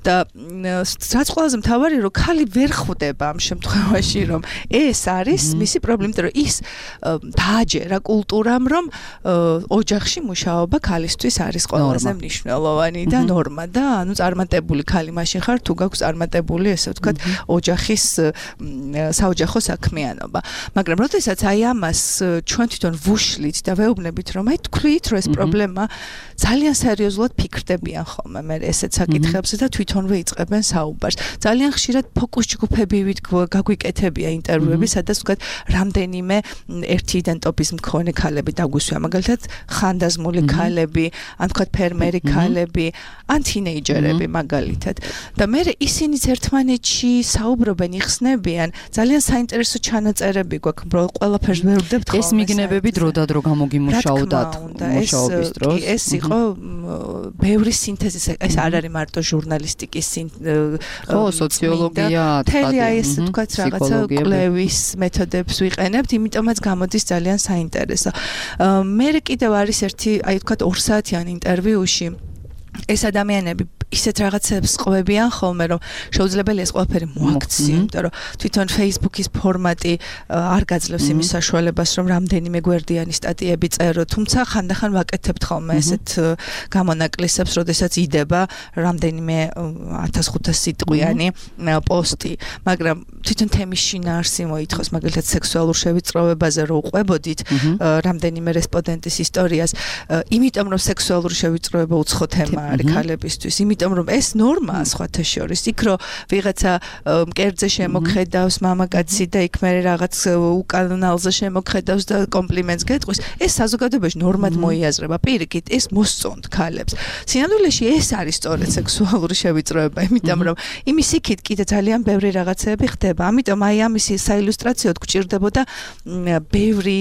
და რაც ყველაზე მთავარი, რომ ქალი ვერ ხვდება ამ შემთხვევაში, რომ ეს არის მისი პრობლემა, რომ ის დააჯერა კულტურამ, რომ ოჯახში მუშაობა ქალისთვის არის ყველაზე მნიშვნელოვანი და ნორმა და ანუ წარმატებული ქალი მაშინ ხარ თუ გაქვს წარმატებული, ესე ვთქვათ, ოჯახის საოჯახო საქმიანობა. მაგრამ როდესაც აი ამას ჩვენ თვითონ ვუშლით და ვეუბნებით, რომ აი თქვით, რომ ეს პრობლემა ძალიან სერიოზულად ფიქრდებიან ხოლმე მე ესეთ საკითხებზე და თვითონვე იწყებენ საუბარს. ძალიან ხშირად ფოკუს ჯგუფებივით გაგვიკეთებია ინტერვიუები, სადაც ვთქვათ, რამდენიმე ერთი იდენტობის მქონე ქალები დაგვისვია, მაგალითად ხანდაზმული ქალები, ან ვთქვათ ფერმერი ქალები, ან თინეიჯერები მაგალითად. და მე ისინიც ერთმანეთში საუბრობენ, იხსნებიან, ძალიან საინტერესო ჩანაწერები გვაქვს, ყველაფერს ვერვდებთ ხოლმე. ეს მიგნებები დროდადრო გამოგიმუშაოდათ მუშაობის დროს. ეს იყო ბევრი სინთეზის, ეს არ არის მარტო ჟურნალისტიკის ხო, სოციოლოგია, თელი აი ეს თქვათ რაღაცა კვლევის მეთოდებს ვიყენებთ, იმიტომაც გამოდის ძალიან საინტერესო. მე კიდევ არის ერთი, აი თქვათ ორ საათიან ინტერვიუში ეს ადამიანები ისეთ რაღაცებს ყვებიან ხოლმე, რომ შეუძლებელია ეს ყველაფერი მოაქციო, იმიტომ რომ თვითონ Facebook-ის ფორმატი არ გაძლევს იმის საშუალებას, რომ რამდენიმე გვერდიანი სტატიები წერო, თუმცა ხანდახან ვაკეთებთ ხოლმე ესეთ გამონაკლისებს, როდესაც იდება რამდენიმე ათას ხუთას სიტყვიანი პოსტი, მაგრამ თვითონ თემის შინაარსი მოითხოვს, მაგალითად სექსუალურ შევიწროვებაზე რო უყვებოდით რამდენიმე რესპონდენტის ისტორიას, იმიტომ რომ სექსუალური შევიწროვება უცხო თემა არის ქალებისთვის, იმიტომ რომ ეს ნორმაა სხვათა შორის, იქ რო ვიღაცა მკერდზე შემოქმედავს მამაკაცი და იქ მე რაღაც უკანალზე შემოქმედავს და კომპლიმენტს გეტყვის, ეს საზოგადოებაში ნორმად მოიაზრება, პირიქით ეს მოსწონთ ქალებს. სინამდვილეში ეს არის სწორედ სექსუალური შევიწროება, იმიტომ რომ იმის იქით კიდე ძალიან ბევრი რაღაცები ხდება, ამიტომ აი ამის საილუსტრაციოდ გვჭირდებოდა ბევრი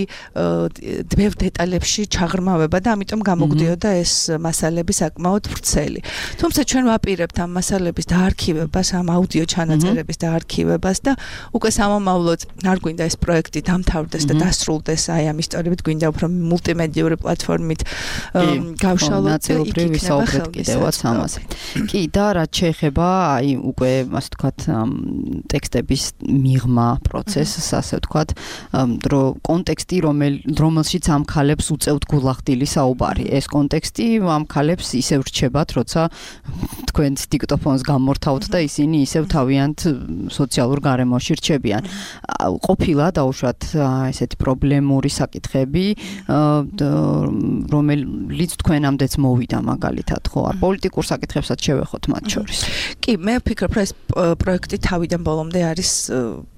ბევრ დეტალებში ჩაღრმავება და ამიტომ გამოგვდიოდა ეს მასალები საკმაოდ ვრცელი. თუმცა ჩვენ ვაპირებთ ამ მასალების დაარქივებას, ამ აუდიო ჩანაწერების დაარქივებას და უკვე სამომავლოდ არ გვინდა ეს პროექტი დამთავრდეს და დასრულდეს აი ამ ისტორიებით, გვინდა უფრო მულტიმედიური პლატფორმით გავშალოთ და იქ იქნება კიდევაც ამაზე. კი, და რაც შეეხება აი უკვე ასე ვთქვათ ტექსტების მიღმა პროცესს, ასე ვთქვათ, რომ კონტექსტი რომელშიც ამ ქალებს უწევთ გულახდილი საუბარი. ეს კონტექსტი ამ ქალებს ისევ რჩებათ, როცა თქვენს დიქტოფონს გამორთავთ და ისინი ისევ თავიანთ სოციალურ გარემოში რჩებიან. ყოფილა დაუშვათ ესეთი პრობლემური საკითხები, რომელიც თქვენამდეც მოვიდა მაგალითად, ხო, პოლიტიკურ საკითხებსაც შევეხოთ მათ შორის. კი, მე ვფიქრობ, რომ ეს პროექტი თავიდან ბოლომდე არის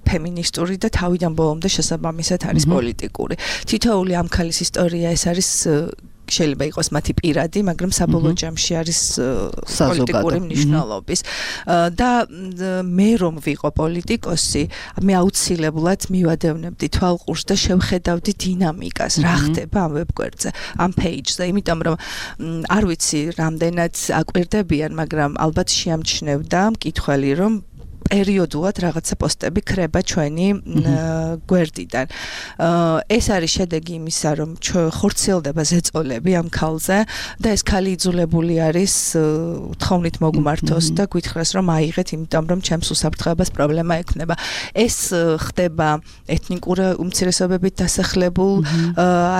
ფემინისტური და თავიდან ბოლომდე შესაბამისად არის პოლიტიკური. თითოეული ამ ქალის ისტორია ეს არის შეიძლება იყოს მათი პირადი, მაგრამ საბოლოო ჯამში არის პოლიტიკური მნიშვნელობის. და მე რომ ვიყო პოლიტიკოსი, მე აუცილებლად მივადევნებდი თვალყურს და შევხედავდი დინამიკას, რა ხდება ამ ვებგვერდზე, ამ page-ზე, იმიტომ რომ არ ვიცი რამდენად აკვირდებიან, მაგრამ ალბათ შეამჩნევდა მკითხველი, რომ პერიოდულად რაღაცა პოსტები ქრება ჩვენი გვერდიდან. ეს არის შედეგი იმისა, რომ ხორციელდება ზეწოლები ამ ქალზე და ეს ქალი იძულებული არის თხოვნით მოგმართოს და გითხრას, რომ აიღეთ, იმიტომ რომ ჩემს უსაფრთხოებას პრობლემა ექნება. ეს ხდება ეთნიკურ უმცირესობებით დასახლებულ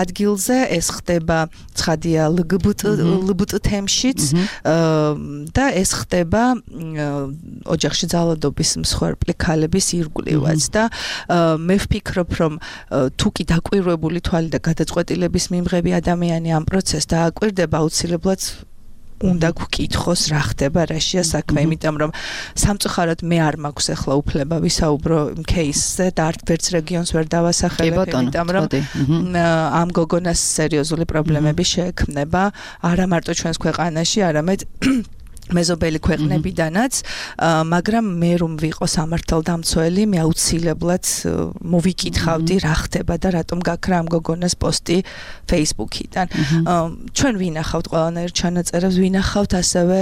ადგილზე, ეს ხდება ცხადია ლგბტ თემშიც და ეს ხდება ოჯახში ძალადობის მსხვერპლი ქალების ირგვლივაც და მე ვფიქრობ, რომ თუ კი დაკვირვებული თვალი და გადაწყვეტილების მიმღები ადამიანი ამ პროცესს დააკვირდება, აუცილებლად უნდა გვკითხოს რა ხდება, რაშია საქმე, იმიტომ რომ სამწუხაროდ მე არ მაქვს ახლა უფლება ვისაუბრო იმ кейსზე და არც ერთ რეგიონს ვერ დავასახელებ, იმიტომ რომ ამ გოგონას სერიოზული პრობლემები შეექმნება არა მარტო ჩვენს ქვეყანაში, არამედ მეზობელი ქვეყნებიდანაც, მაგრამ მე რომ ვიყო სამართალდამცველი, მე აუცილებლად მოვიკითხავდი რა ხდება და რატომ გაქრა ამ გოგონას პოსტი Facebook-იდან. ჩვენ ვინახავთ ყველანაირ ჩანაწერებს, ვინახავთ ასევე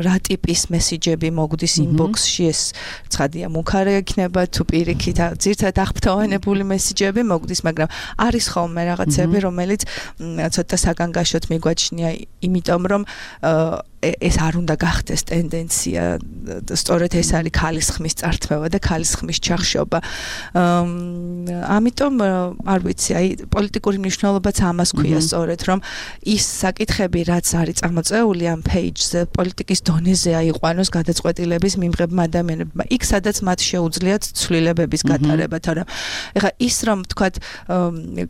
რა ტიპის მესიჯები მოგდის inbox-ში, ეს ცხადია მუქარე იქნება თუ პირიქით ძირთად აღფრთოვანებული მესიჯები მოგდის, მაგრამ არის ხოლმე რაღაცები, რომელიც ცოტა საგანგაშოდ მიგვაჩნია, იმიტომ რომ ეს არ უნდა გახდეს ტენდენცია, სწორედ ეს არის ქალის ხმის წართმევა და ქალის ხმის ჩახშობა. ამიტომ არ ვიცი, აი პოლიტიკური მნიშვნელობაც ამას ქვია სწორედ, რომ ის საკითხები, რაც არის წამოწეული ამ page-ზე, პოლიტიკის დონეზე აიყვანოს გადაწყვეტილების მიმღებმა ადამიანებმა. იქ სადაც მათ შეუძლიათ ცვლილებების გატარება, თორემ ეხლა ის რომ თქვათ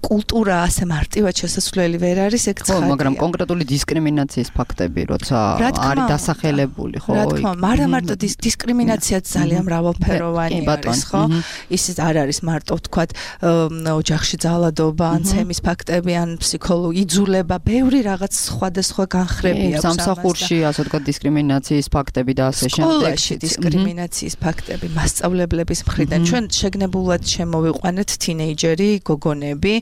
კულტურა ასე მარტივად შესაძლებელი ვერ არის, ეგ ცხადია. ხო, მაგრამ კონკრეტული დისკრიმინაციის ფაქტები, როცა არის დასახელებული, ხო? რა თქმა უნდა, არა მარტო დისკრიმინაციაც ძალიან მრავალფეროვანი არის, ხო? ის არ არის მარტო თქვათ ოჯახში ძალადობა, ან ცემის ფაქტები, ან ფსიქოლოგიური იძულება, ბევრი რაღაც სხვადასხვა განხრები აქვს. სამსახურში, ასე ვთქვათ, დისკრიმინაციის ფაქტები და ასე შემდეგ. სკოლაში დისკრიმინაციის ფაქტები, მასწავლებლების მხრიდან. ჩვენ შეგნებულად შემოვიყვანეთ თინეიჯერი გოგონები,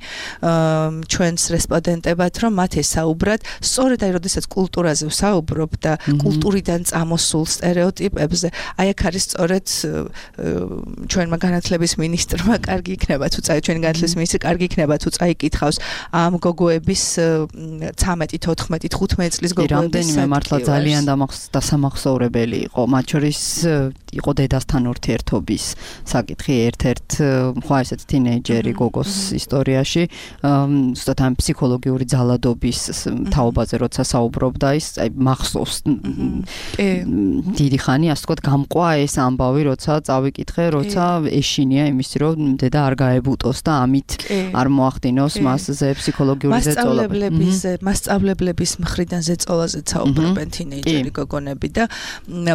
ჩვენს რესპონდენტებად, რომ მათ ესაუბრათ, სწორედ აი, როდესაც კულტურაზე ვსაუბრო, ვარაუდობდა კულტურიდან წამოსულ სტერეოტიპებზე. აი აქ არის სწორედ ჩვენმა განათლების მინისტრმა კარგი იქნება თუ წაი ჩვენი განათლების მინისტრი კარგი იქნება თუ წაიკითხავს ამ გოგოების ცამეტი, თოთხმეტი, თხუთმეტი წლის გოგოების რამდენიმე მართლა ძალიან დასამახსოვრებელი იყო. მათ შორის იყო დედასთან ურთიერთობის საკითხი ერთ-ერთ ხო ესეთ თინეიჯერი გოგოს ისტორიაში, ზუსტად ამ ფსიქოლოგიური ძალადობის თაობაზე როცა საუბრობდა ის, აი მახსოვს დიდი ხანი ასე ვთქვათ გამყვა ეს ამბავი, როცა წავიკითხე, როცა ეშინია იმისი, რომ დედა არ გაებუტოს და ამით არ მოახდინოს მასზე ფსიქოლოგიური ზეწოლა. მასწავლებლების მასწავლებლების მხრიდან ზეწოლაზე საუბრობენ თინეიჯერი გოგონები და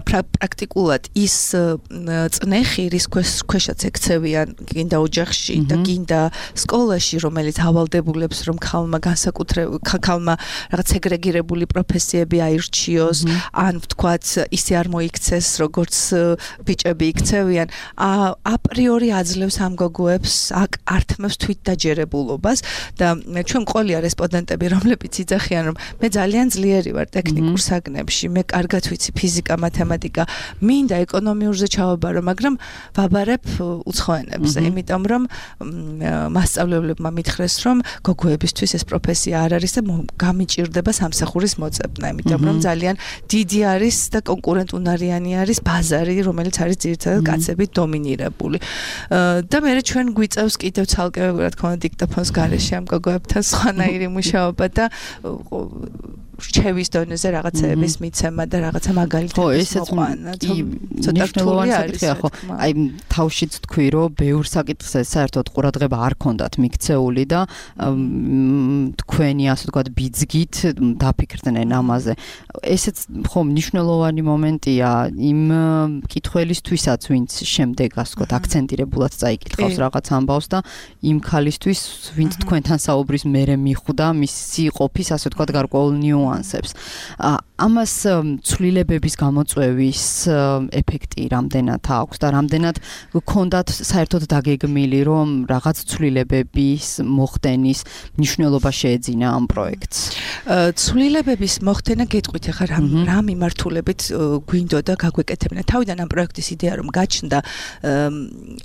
პრაქტიკულად ის წნეხი, რის ქვეშაც ექცევიან გინდა ოჯახში და გინდა სკოლაში, რომელიც ავალდებულებს, რომ ქალმა განსაკუთრებული ქალმა რაღაც სეგრეგირებული პროფესიები აირჩიოს, ან ვთქვათ, ისე არ მოიქცეს, როგორც ბიჭები იქცევიან, აპრიორი აძლევს ამ გოგოებს, აქ ართმევს თვითდაჯერებულობას და ჩვენ მყოლია რესპონდენტები, რომლებიც იძახიან, რომ მე ძალიან ძლიერი ვარ ტექნიკურ საგნებში, მე კარგად ვიცი ფიზიკა, მათემატიკა, მინდა ეკონომიურზე ჩავაბარო, მაგრამ ვაბარებ უცხო ენებზე, იმიტომ რომ მასწავლებლებმა მითხრეს, რომ გოგოებისთვის ეს პროფესია არ არის და გამიჭირდება სამსახურის მოწებნა, იმიტომ რომ ძალიან დიდი არის და კონკურენტუნარიანი არის ბაზარი, რომელიც არის ძირითადად კაცებით დომინირებული. და მე ჩვენ გვიწევს კიდევ ცალკე, რა თქმა უნდა, დიქტოფონს გარეშე ამ გოგოებთან სხვანაირი მუშაობა და რჩევის დონეზე რაღაცების მიცემა და რაღაცა მაგალითების მოყვანა. ცოტა რთული არის, ხო? აი თავშიც თქვი, რომ ბევრ საკითხზე საერთოდ ყურადღება არ ქონდათ მიქცეული და თქვენი ასე ვთქვათ ბიძგით დაფიქრდნენ ამაზე. ესეც ხო მნიშვნელოვანი მომენტია იმ კითხველისთვისაც, ვინც შემდეგ ასე ვთქვათ აქცენტირებულად წაიკითხავს რაღაც ამბავს და იმ ქალისთვის, ვინც თქვენთან საუბრის მერე მიხვდა მისი ყოფის ასე ვთქვათ გარკვეულ ნიუანსებს. ამას ცვლილებების გამოწვევის ეფექტი რამდენად აქვს და რამდენად გქონდათ საერთოდ დაგეგმილი, რომ რაღაც ცვლილებების მოხდენის მნიშვნელობა შეეძინა ამ პროექტს? ცვლილებების მოხდენა გეტყვით ახლა რა რა მიმართულებით გვინდოდა გაგვეკეთებინა. თავიდან ამ პროექტის იდეა რომ გაჩნდა,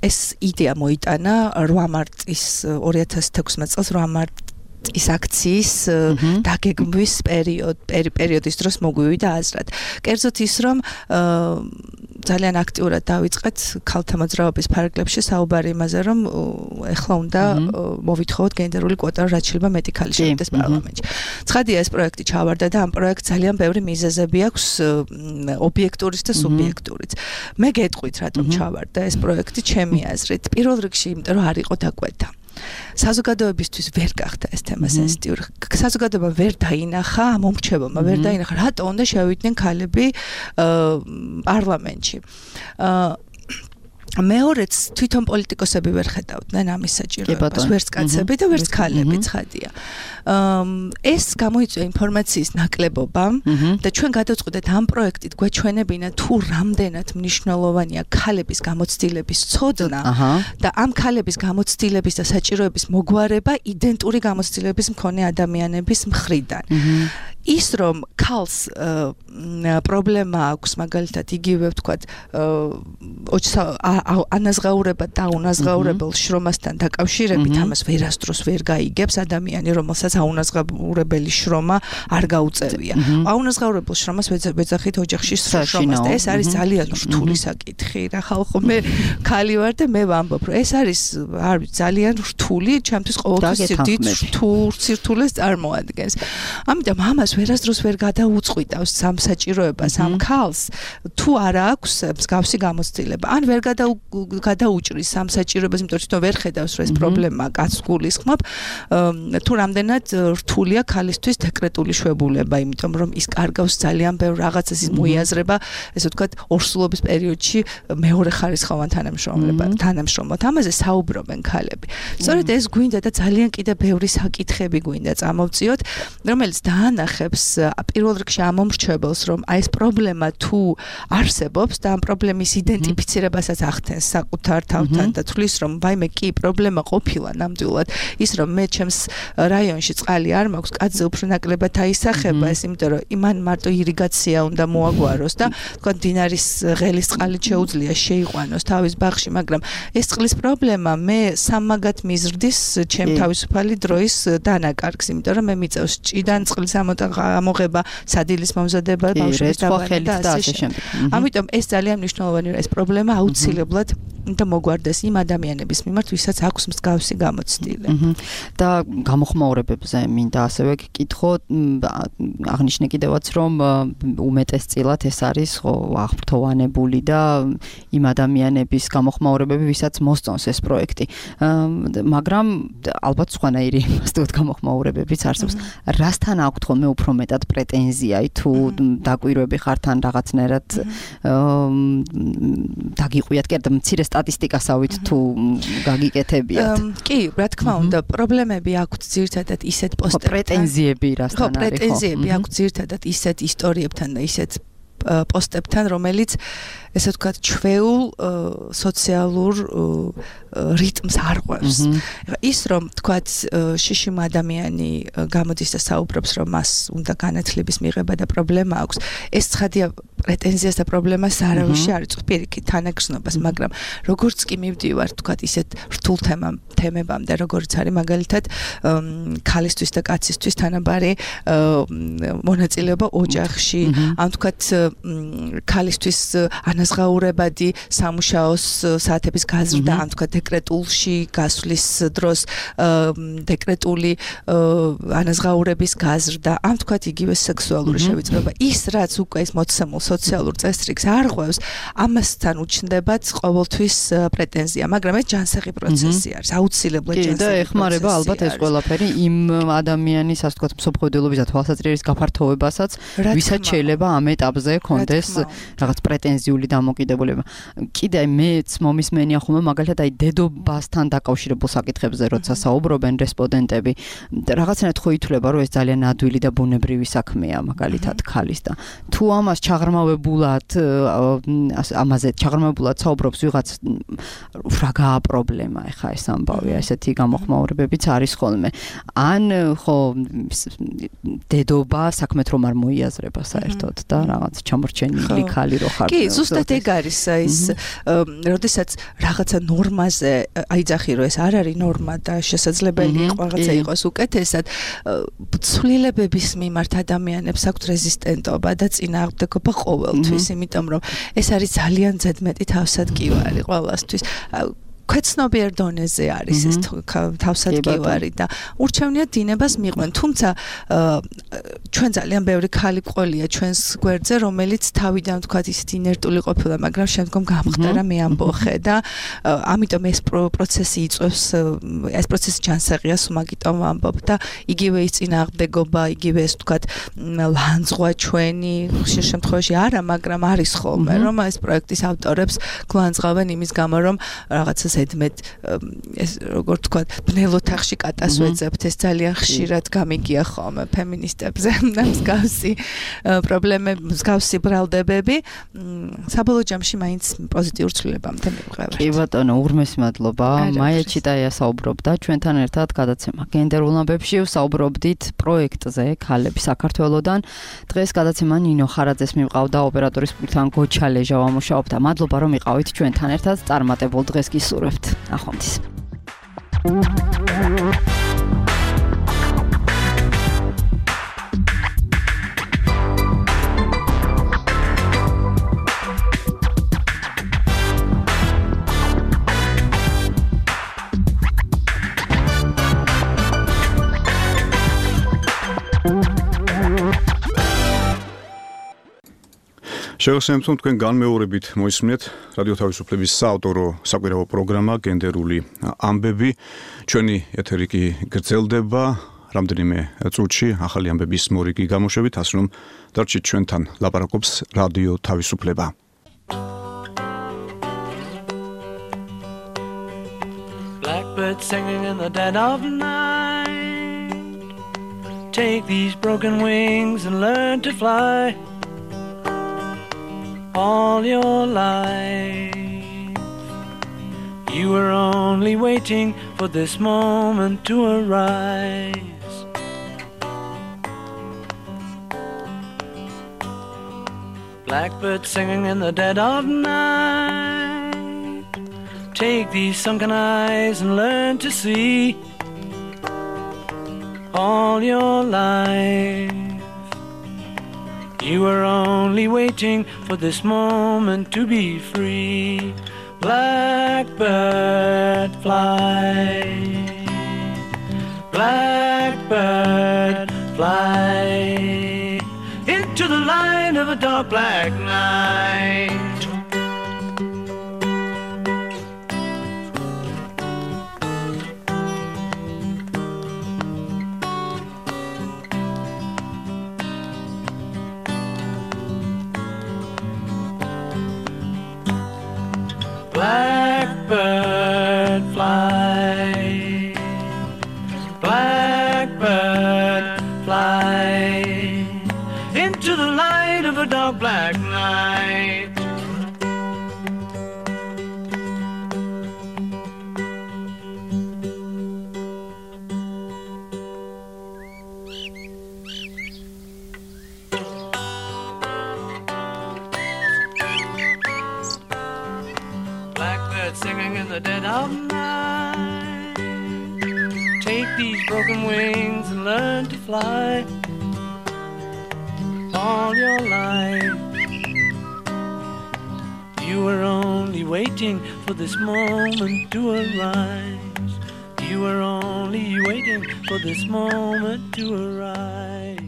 ეს იდეა მოიტანა რვა მარტის ორი ათას თექვსმეტ წელს რვა მარტის ის აქციის დაგეგმვის პერიოდ პერიოდის დროს მოგვივიდა აზრად. კერძოდ ის რომ ძალიან აქტიურად დავიწყეთ ქალთა მოძრაობის ფარგლებში საუბარი იმაზე, რომ ეხლა უნდა მოვითხოვოთ გენდერული კვოტა, რაც შეიძლება მეტი ქალი შევიდეს პარლამენტში. ცხადია, ეს პროექტი ჩავარდა და ამ პროექტს ძალიან ბევრი მიზეზები აქვს, ობიექტურიც და სუბიექტურიც. მე გეტყვით, რატომ ჩავარდა ეს პროექტი ჩემი აზრით. პირველ რიგში, იმიტომ რომ არ იყო დაკვეთა. საზოგადოებისთვის ვერ გახდა ეს თემა სენსიტიური. საზოგადოება ვერ დაინახა, მომრჩეველმა ვერ დაინახა, რატო უნდა შევიდნენ ქალები პარლამენტში. მეორეც თვითონ პოლიტიკოსები ვერ ხედავდნენ ამის საჭიროებას, ვერც კაცები და ვერც ქალები, ცხადია. ეს გამოიწვია ინფორმაციის ნაკლებობამ და ჩვენ გადავწყვეტეთ ამ პროექტით გვეჩვენებინა თუ რამდენად მნიშვნელოვანია ქალების გამოცდილების ცოდნა და ამ ქალების გამოცდილების და საჭიროების მოგვარება იდენტური გამოცდილების მქონე ადამიანების მხრიდან. ის რომ ქალს პრობლემა აქვს, მაგალითად იგივე ვთქვათ, ანაზღაურება და უნაზღაურებელ შრომასთან დაკავშირებით, ამას ვერასდროს ვერ გაიგებს ადამიანი, რომელსაც აუნაზღაურებელი შრომა არ გაუწევია. აუნაზღაურებელ შრომას ვეძახით ოჯახში შრომას და ეს არის ძალიან რთული საკითხი. რა ხალხო, მე ქალი ვარ და მე ვამბობ, რომ ეს არის არ ვიცი, ძალიან რთული, ჩემთვის ყოველთვის დიდ რთულ სირთულეს წარმოადგენს. ამიტომ ამას ვერასდროს ვერ გადაუწყვიტავს სამ საჭიროებას ამ ქალს, თუ არა აქვს მსგავსი გამოცდილება. ან ვერ გადაუჭრის სამ საჭიროებას, იმიტომ რომ თვითონ ვერ ხედავს, რომ ეს პრობლემა კაცს გულისხმობ, თუ რამდენად რთულია ქალისთვის დეკრეტული შვებულება, იმიტომ რომ ის კარგავს ძალიან ბევრ რაღაცას, ის მოიაზრება, ესე ვთქვათ, ორსულობის პერიოდში მეორე ხარისხოვან თანამშრომლობად, თანამშრომლად. ამაზე საუბრობენ ქალები. სწორედ ეს გვინდა და ძალიან კიდე ბევრი საკითხები გვინდა წამოვწიოთ, რომელიც დაანახე აუწყებს პირველ რიგში ამ მომრჩეველს, რომ აი ეს პრობლემა თუ არსებობს და ამ პრობლემის იდენტიფიცირებასაც ახდენს საკუთარ თავთან და თulis რომ ვაიმე კი პრობლემა ყოფილა ნამდვილად ის რომ მე ჩემს რაიონში წყალი არ მაქვს, კაცზე უფრო ნაკლებად აისახება ეს, იმიტომ რომ იმან მარტო ირიგაცია უნდა მოაგვაროს და თქვა დინარის ღელის წყალი შეუძლია შეიყვანოს თავის ბაღში, მაგრამ ეს წყლის პრობლემა მე სამაგად მიზრდის ჩემ თავისუფალი დროის დანაკარგს, იმიტომ რომ მე მიწევს ჭიდან წყლის ამოღება, სადილის მომზადება, ბავშვების დაბადება და ასე შემდეგ. ამიტომ ეს ძალიან მნიშვნელოვანია, ეს პრობლემა აუცილებლად და მოგვარდეს იმ ადამიანების მიმართ, ვისაც აქვს მსგავსი გამოცდილი. და გამოხმაურებებზე მინდა ასევე გკითხო, აღნიშნე კიდევაც რომ უმეტესწილად ეს არის ხო აღფრთოვანებული და იმ ადამიანების გამოხმაურებები, ვისაც მოსწონს ეს პროექტი. მაგრამ ალბათ სხვანაირი მასტოთ გამოხმაურებებიც არსებობს. რასთან აქვთ ხოლმე უფრო მეტად პრეტენზია, თუ დაკვირვები ხართ ან რაღაცნაირად დაგიყვიათ კიდე მცირე სტატისტიკასავით თუ გაგიკეთებიათ. კი, რა თქმა უნდა, პრობლემები აქვთ ძირითადად ისეთ პოსტებთან. პრეტენზიები რასთან არის? ხო, პრეტენზიები აქვთ ძირითადად ისეთ ისტორიებთან და ისეთ პოსტებთან, რომელიც ესე ვთქვათ, ჩვეულ სოციალურ რიტმს არღვევს. ის რომ ვთქვათ, შიშიმ ადამიანი გამოდის და საუბრობს, რომ მას უნდა განათლების მიღება და პრობლემა აქვს, ეს ცხადია პრეტენზიას და პრობლემას არავისი არ იწვევს პირიქით თანაგრძნობას, მაგრამ როგორც კი მივდივარ, ვთქვათ, ისეთ რთულ თემებამდე, როგორც არის მაგალითად ქალისთვის და კაცისთვის თანაბარი მონაწილეობა ოჯახში, ან ვთქვათ, ქალისთვის ანაზღაურებადი სამუშაოს საათების გაზრდა, ან თქვა დეკრეტულში გასვლის დროს დეკრეტული ანაზღაურების გაზრდა, ან თქვა იგივე სექსუალური შევიწროება. ის რაც უკვე ის მოცემულ სოციალურ წესრიგს არღვევს, ამასთან უჩნდებათ ყოველთვის პრეტენზია, მაგრამ ეს ჯანსაღი პროცესი არის, აუცილებლად ჯანსაღი. და ეხმარება ალბათ ეს ყველაფერი იმ ადამიანის, ასე ვთქვათ, მსოფლმხედველობის და თვალსაჩინების გაფართოვებასაც, ვისაც შეიძლება ამ ეტაპზე კონდეს რაღაც პრეტენზიული დამოკიდებულება. კიდე მეც მომისმენია ხოლმე მაგალითად აი დედობასთან დაკავშირებულ საკითხებზე, როცა საუბრობენ რესპონდენტები, რაღაცნაირად ხო ითვლება, რომ ეს ძალიან ადვილი და ბუნებრივი საქმეა, მაგალითად ქალის და თუ ამას ჩაღრმავებულად ამაზე ჩაღრმავებულად საუბრობს ვიღაც რა გაა პრობლემა ეხა ეს ამბავია, ესეთი გამოხმაურებებიც არის ხოლმე. ან ხო დედობა საქმეთ რომ არ მოიაზრება საერთოდ და რაღაც ჩამორჩენილი ქალი რო ხარ. კი, ზუსტად ეგ არის ის, როდესაც რაღაცა ნორმაზე აიძახი, რომ ეს არ არის ნორმა და შესაძლებელი იყო რაღაცა იყოს უკეთესად, ცვლილებების მიმართ ადამიანებს აქვთ რეზისტენტობა და წინააღმდეგობა ყოველთვის, იმიტომ რომ ეს არის ძალიან ზედმეტი თავსადგივარი ყველასთვის. ქვეცნობიერ დონეზე არის ეს თავსადგივარი და ურჩევნია დინებას მიყვნენ. თუმცა ჩვენ ძალიან ბევრი ქალი ყოლია ჩვენს გვერდზე, რომელიც თავიდან თქვათ ისეთი ინერტული ყოფილა, მაგრამ შემდგომ გამხდარა მეამბოხე და ამიტომ ეს პროცესი იწვევს, ეს პროცესი ჯანსაღია, სულ ამბობ და იგივე ის წინააღმდეგობა, იგივე ეს თქვათ ლანძღვა ჩვენი ხშირ შემთხვევაში არა, მაგრამ არის ხოლმე, რომ ეს პროექტის ავტორებს გლანძღავენ იმის გამო, რომ რაღაცა ზედმეტ ეს როგორ თქვა ბნელოთახში კატას ვეძებთ, ეს ძალიან ხშირად გამიგია ხოლმე ფემინისტებზე და მსგავსი პრობლემები, მსგავსი ბრალდებები საბოლოო ჯამში მაინც პოზიტიურ ცვლილებამდე მივყევართ. კი ბატონო, ურმესი მადლობა. მაია ჩიტაია საუბრობდა ჩვენთან ერთად გადაცემა გენდერულ ამბებში, საუბრობდით პროექტზე ქალები საქართველოსდან. დღეს გადაცემა ნინო ხარაძეს მივყავდა, ოპერატორის პულტთან გოჩა ლეჟა ვამუშაობდა. მადლობა რომ იყავით ჩვენთან ერთად. წარმატებულ დღეს გისურვებთ. ახონდის. შევასრულებთ თქვენ განმეორებით მოისმინეთ რადიო თავისუფლების საავტორო საკვირაო პროგრამა გენდერული ამბები. ჩვენი ეთერი კი გრძელდება რამდენიმე წუთში ახალი ამბების მორიგი გამოშვებით, ასე რომ დარჩით ჩვენთან, ლაპარაკობს რადიო თავისუფლება. Blackbird singing in the dead of night, Take these broken wings and learn to fly all your life. You were only waiting for this moment to arise. Blackbird singing in the dead of night. Take these sunken eyes and learn to see all your life. You were only waiting for this moment to be free. Blackbird fly, blackbird fly into the light of a dark black night. Blackbird fly, blackbird fly into the light of a dark black night. Singing in the dead of night. Take these broken wings and learn to fly all your life. You were only waiting for this moment to arise. You were only waiting for this moment to arise.